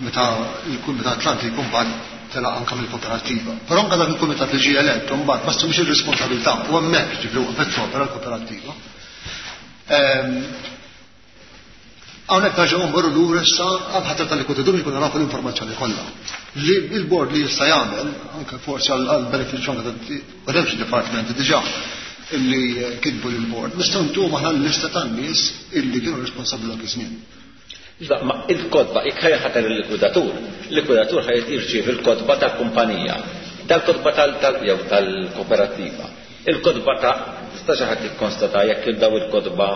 Meta il-kumitat Atlanti jkun bad telaq anke mill-kooperattiva. Però anke dak il-kumitat li ġie elett mbagħad ma assumix ir-responsabilità u hemmhekk ġifieri waqfet topera l-kooperattiva. Ehm, Hawnhekk nerġgħu mmorru lura issa għal ħatra tal-likwidatur biex nafu l-informazzjoni kollha. Li il-board li jista' jagħmel, anke forsi għal benefiċċju anke ta' department diġà illi kitbu lill-board, nistgħu ntuhom aħna l-lista tan-nies illi kienu responsabbli dak iż-żmien. Iva, ma il-kotba, jekk ħatar il-likwidatur, il-likwidatur ħaj jirċievi il-kotba tal-kumpanija, dal-kotba tal- tal- jew tal-kooperattiva. Il-kotba ta' tista' xi ħadd jikkonstata jekk daw il-kotba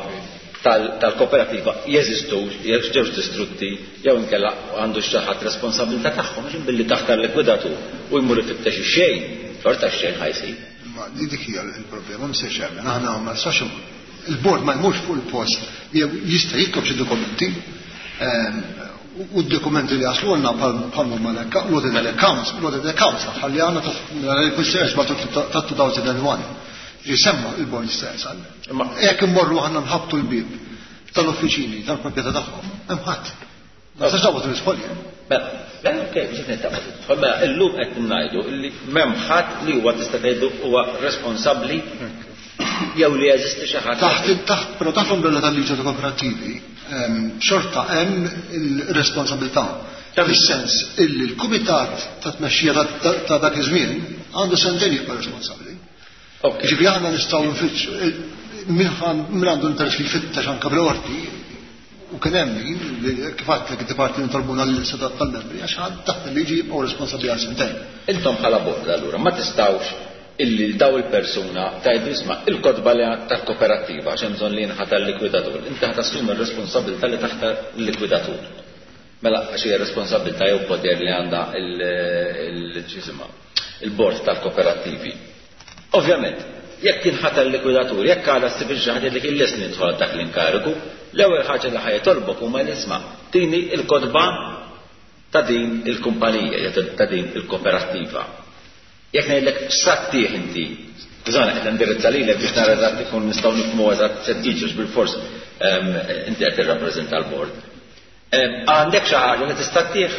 tal-kooperativa jeżistu, jekk ġewx distrutti, jew inkella għandu xi ħadd responsabilità tagħhom, għax billi taħtar likwidatur u jmur ifittex ix-xejn, xorta x-xejn ħa jsib. Ma dik hija l-problema, Mister Chairman, aħna ma nistax, il-bord ma jmurx fuq il-post, jew jista' jitlob xi dokumenti, ehm, u d-dokumenti li jaslulna bħal huma l-audit accounts, l-audit accounts ħalli għandna ta' ta' elfejn u wieħed. Jisemma il-bord stess. Jekk immorru aħna nħabtu l-bib tal-uffiċini tal-proprjetà tagħhom, hemm ħadd. Ma nistax naqbad l-isfolji. Mela, mela, ok, biex nitaqbad tidħol, mela illum qed ngħidu li m'hemm ħadd li huwa tista' tgħidu huwa responsabbli jew li jeżisti xi ħadd. Taħt, taħt, però taħt l-umbrella tal-liġi ta' kooperattivi, ehm, xorta hemm il-responsabilità. Fis-sens illi l-kumitat ta' tmexxija ta' dak iż-żmien għandu sentejn jibqa' responsabbli. Ġifieri aħna nistgħu nfittxu min għandu interess li jfittex anke bil-qorti, u kien hemm min li kif għedtlek id-dipartiment talbuna l-lista tal-membri għax taħt il-liġi jibqgħu responsabbli għal sentejn. Intom bħala bord allura ma tistgħux illi daw il-persuna tgħidu isma' il-kotba li tal-kooperattiva għax hemm bżonn li jinħatar likwidatur. Inti ħa tassumi r-responsabilità li taħtar il-likwidatur. Mela għax hija responsabilità jew poter li għandha il-ġisimha il-bord tal-kooperattivi. Ovvjament, jekk jinħatar likwidatur, jekk għala ssib xi ħadd li kien lest nidħol dak l-inkarigu, l-ewwel ħaġa li ħajtolbok huma l-isma' tini il-kotba ta' din il-kumpanija, ta' din il-kooperattiva. Jekk ngħidlek x'sattih inti, bżonn qed nindirizza lilek biex nara eżatt ikun nistgħu nifhmu eżatt se tiġux bil-fors inti qed tirrappreżenta l-bord. Għandek xi ħaġa li tista' ttih?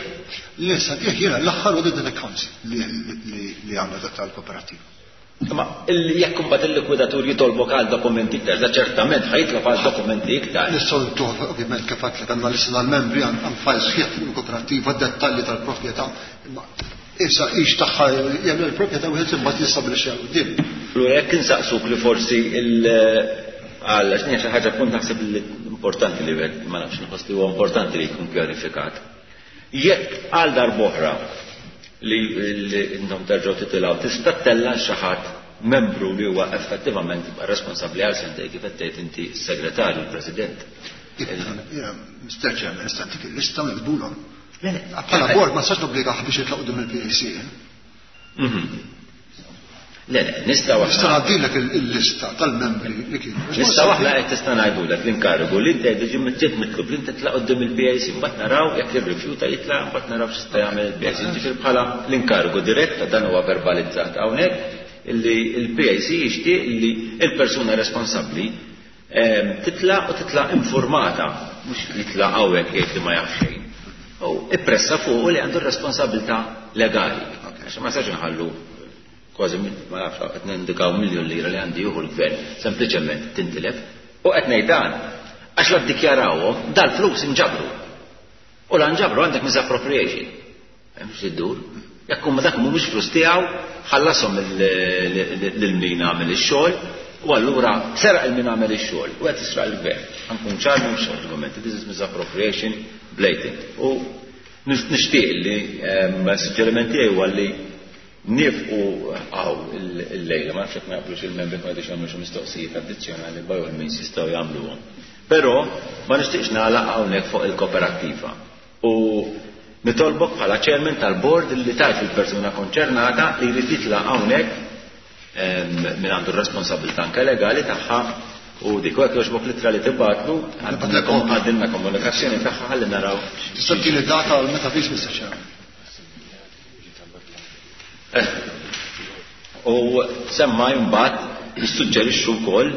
Li nista' ttih jiena l-aħħar audited accounts li għandna tal-kooperattiva. Imma jekk imbagħad il-likwidatur jitolbok għal dokumenti iktar, da ċertament ħajitlob għal dokumenti iktar. Nistgħu ntuh ovvjament kif għedtlek għandna lista tal-membri għand file sħiħ fuq il-kooperattiva, dettalji tal-proprjetà. Imma issa hix tagħha jagħmel il-proprjetà wieħed imbagħad jistabbilixxi għal quddiem. Allura jekk insaqsuk li forsi il għal x'inhi xi ħaġa punt naħseb li importanti li wieħed ma nafx nħoss li huwa importanti li jkun pjanifikat. Jekk għal darb'oħra li intom terġgħu titilgħu tista' ttella' xi ħadd membru li huwa effettivament responsabbli għal sentej kif qed tgħid inti s-segretarju l-President. Jiena Mister Chairman, nista' ntik il-lista u nikbulhom. Bħala bord ma nistax nobbligah biex jitlaq quddiem il-P A C. Le, le, nistgħu aħna. Nista' ngħaddilek il-lista tal-membri li kienu. Nistgħu aħna qed tista' ngħidulek l-inkarigu li inti qed ġiet mitlub li inti titlaq quddiem il-P A C, mbagħad naraw jekk irrifjuta jitlaq, mbagħad naraw x'jista' jagħmel il-P A C. Ġifieri bħala l-inkarigu dirett dan huwa verbalizzat hawnhekk illi l-P A C jixtieq li l-persuna responsabbli titlaq u titlaq informata, mhux jitlaq hawnhekk jgħid li ma jaf xejn. U ippressa fuq li għandu r-responsabilità legali. Għax ma nistax inħallu kważi ma nafx qed nindikaw miljun lira li għandi jieħu l-gvern, sempliċement tintilef. U qed ngħid dan għax la ddikjarawhom dal-flus inġabru. U la nġabru għandek misappropriation. Hemm xi ddur. Jekk huma dak mhumiex flus tiegħu, ħallashom lil min għamel ix-xogħol, u allura seraq il min għamel ix-xogħol u qed jisraq il-gvern. Ħankun ċar m'hemmx argumenti, this is misappropriation blatant. U nixtieq li suġġeriment tiegħi huwa li nifqu għaw il-lejla, ma nafx jekk ma jaqblux il-membri ma jridux jagħmlu xi mistoqsijiet addizzjonali by all means jistgħu jagħmluhom. Però ma nixtieqx nagħlaq hawnhekk fuq il-kooperattiva. U nitolbok bħala chairman tal-board li tajt il-persuna konċernata li jrid jitlaq hawnhekk min għandu r-responsabilità anke legali tagħha u dik hekk jogħġbok litra li tibgħatlu għandilna komunikazzjoni tagħha ħalli naraw. Tista' tini data għal meta fiex Mister Chairman. U semma imbagħad nissuġġerixxu wkoll,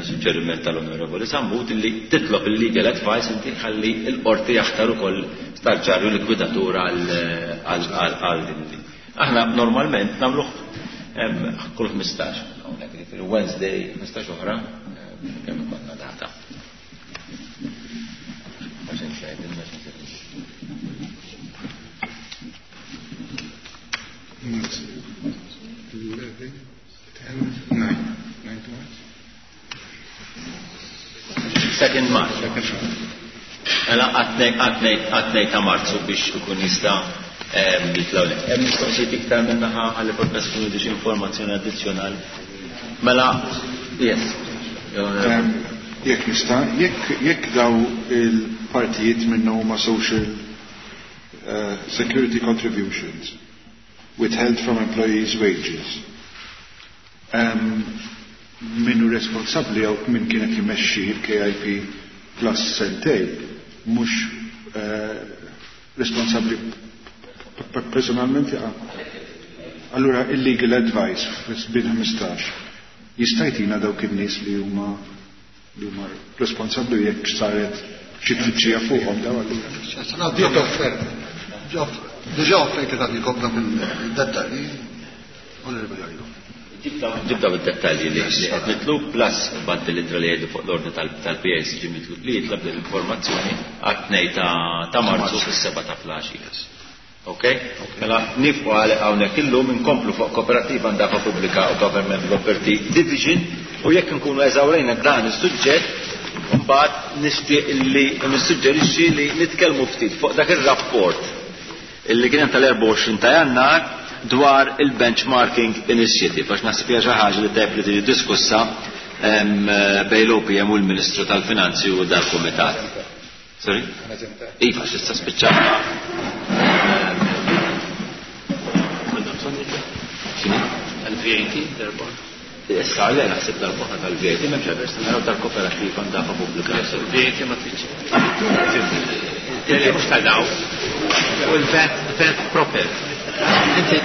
suġġeriment tal-Onorevoli Sammut, li titlob il-legal advice inti ħalli l-qorti jaħtar ukoll starġarju likwidatur għal din. Aħna normalment nagħmluh kull ħmistax, hawnhekk jiġifieri Wednesday ħmistax oħra kemm ikollna data. eleven, ten, nine. Nine to March. Second March. Second March. Mela għatnej ta' Marzu biex ikun jista' jitlaw lek. Hemm mistoqsijiet iktar minn naħa ħalli forsi tkun xi informazzjoni addizzjonali. Mela, yes. Jekk nista', jekk jekk daw il-partijiet minnu huma social uh, security contributions withheld from employees' wages. Um, minnu responsabbli jew min kienet jmexxi il-K I P plus sentej mhux uh, responsabbli personalment jaqa'. Allura il-legal advice fis-sbin ħmistax jista' jtina dawk in-nies li huma li huma responsabbli jekk saret xi tfittxija fuqhom daw allura. Diġà offerti ta' jkompla fil-dettalji, Onorevoli Arrigo. Ġib daw id-dettalji li qed nitlu plus baddi l li jgħidu fuq l-ordni tal-P A C ġi mitlub li jitlab l-informazzjoni għat-tnejn ta' Marzu fis-seba' ta' filgħaxija. Ok? Mela nieqfu għal hawnhekk illum, inkomplu fuq Kooperativa, Ndafa Pubblika u Government Property Division, u jekk nkunu eżawrejna dan is-suġġett, mbagħad nixtieq li nissuġġerixxi li nitkellmu ftit fuq dak ir-rapport illi kien tal-erbgħa u għoxrin ta' Jannar dwar il-Benchmarking Initiative, għax naħseb hija xi ħaġa li tajb li tiġi diskussa bejn l-O P M u l-Ministru tal-Finanzi u dal-Kumitat. Sorry? Iva, x'issa spiċċajna. Tal-V A T, darba. Issa, għalli naħseb darba tal-V A T, m'hemmx għax naraw tal-Kooperativa, Ndafa Pubblika. V A T ma tridx. Mhux tal-daw. U l-VAT, VAT proper. Inti.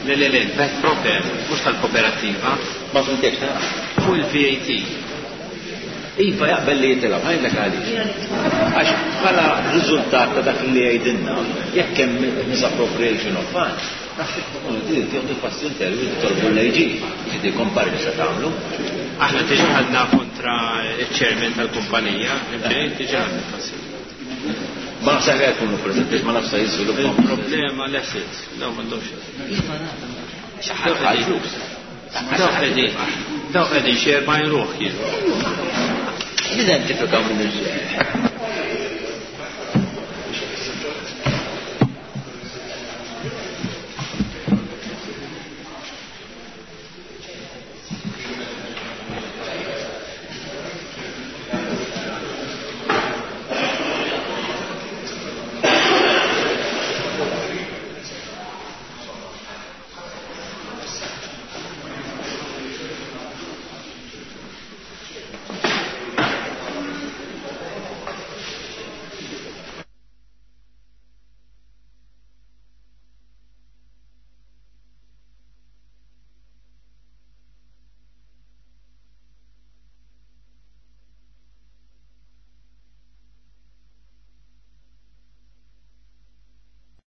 Le, le, le, VAT proper, mhux tal-kooperativa. Ma fhimtekx. Fuq il-V A T. Iva, jaqbel li jitilgħu, ħa ngħidlek għaliex. Għax bħala riżultat ta' dak li jgħidilna, jekk hemm misappropriation of funds, naħseb tkunu tieħdu passi intervi titolbu l-A G, ġidi kompari li se tagħmlu. Aħna diġà ħadna kontra il-chairman tal-kumpanija, diġà ħadna passi. Ma nafx ħa jkunu preżenti, ma nafx jiżviluppaw. Il-problema l-assets, daw m'għandhomx. Iva, xi ħadd flus. Daw qegħdin, daw qegħdin xi erbgħin ruħ jien. Nidentifikaw minn il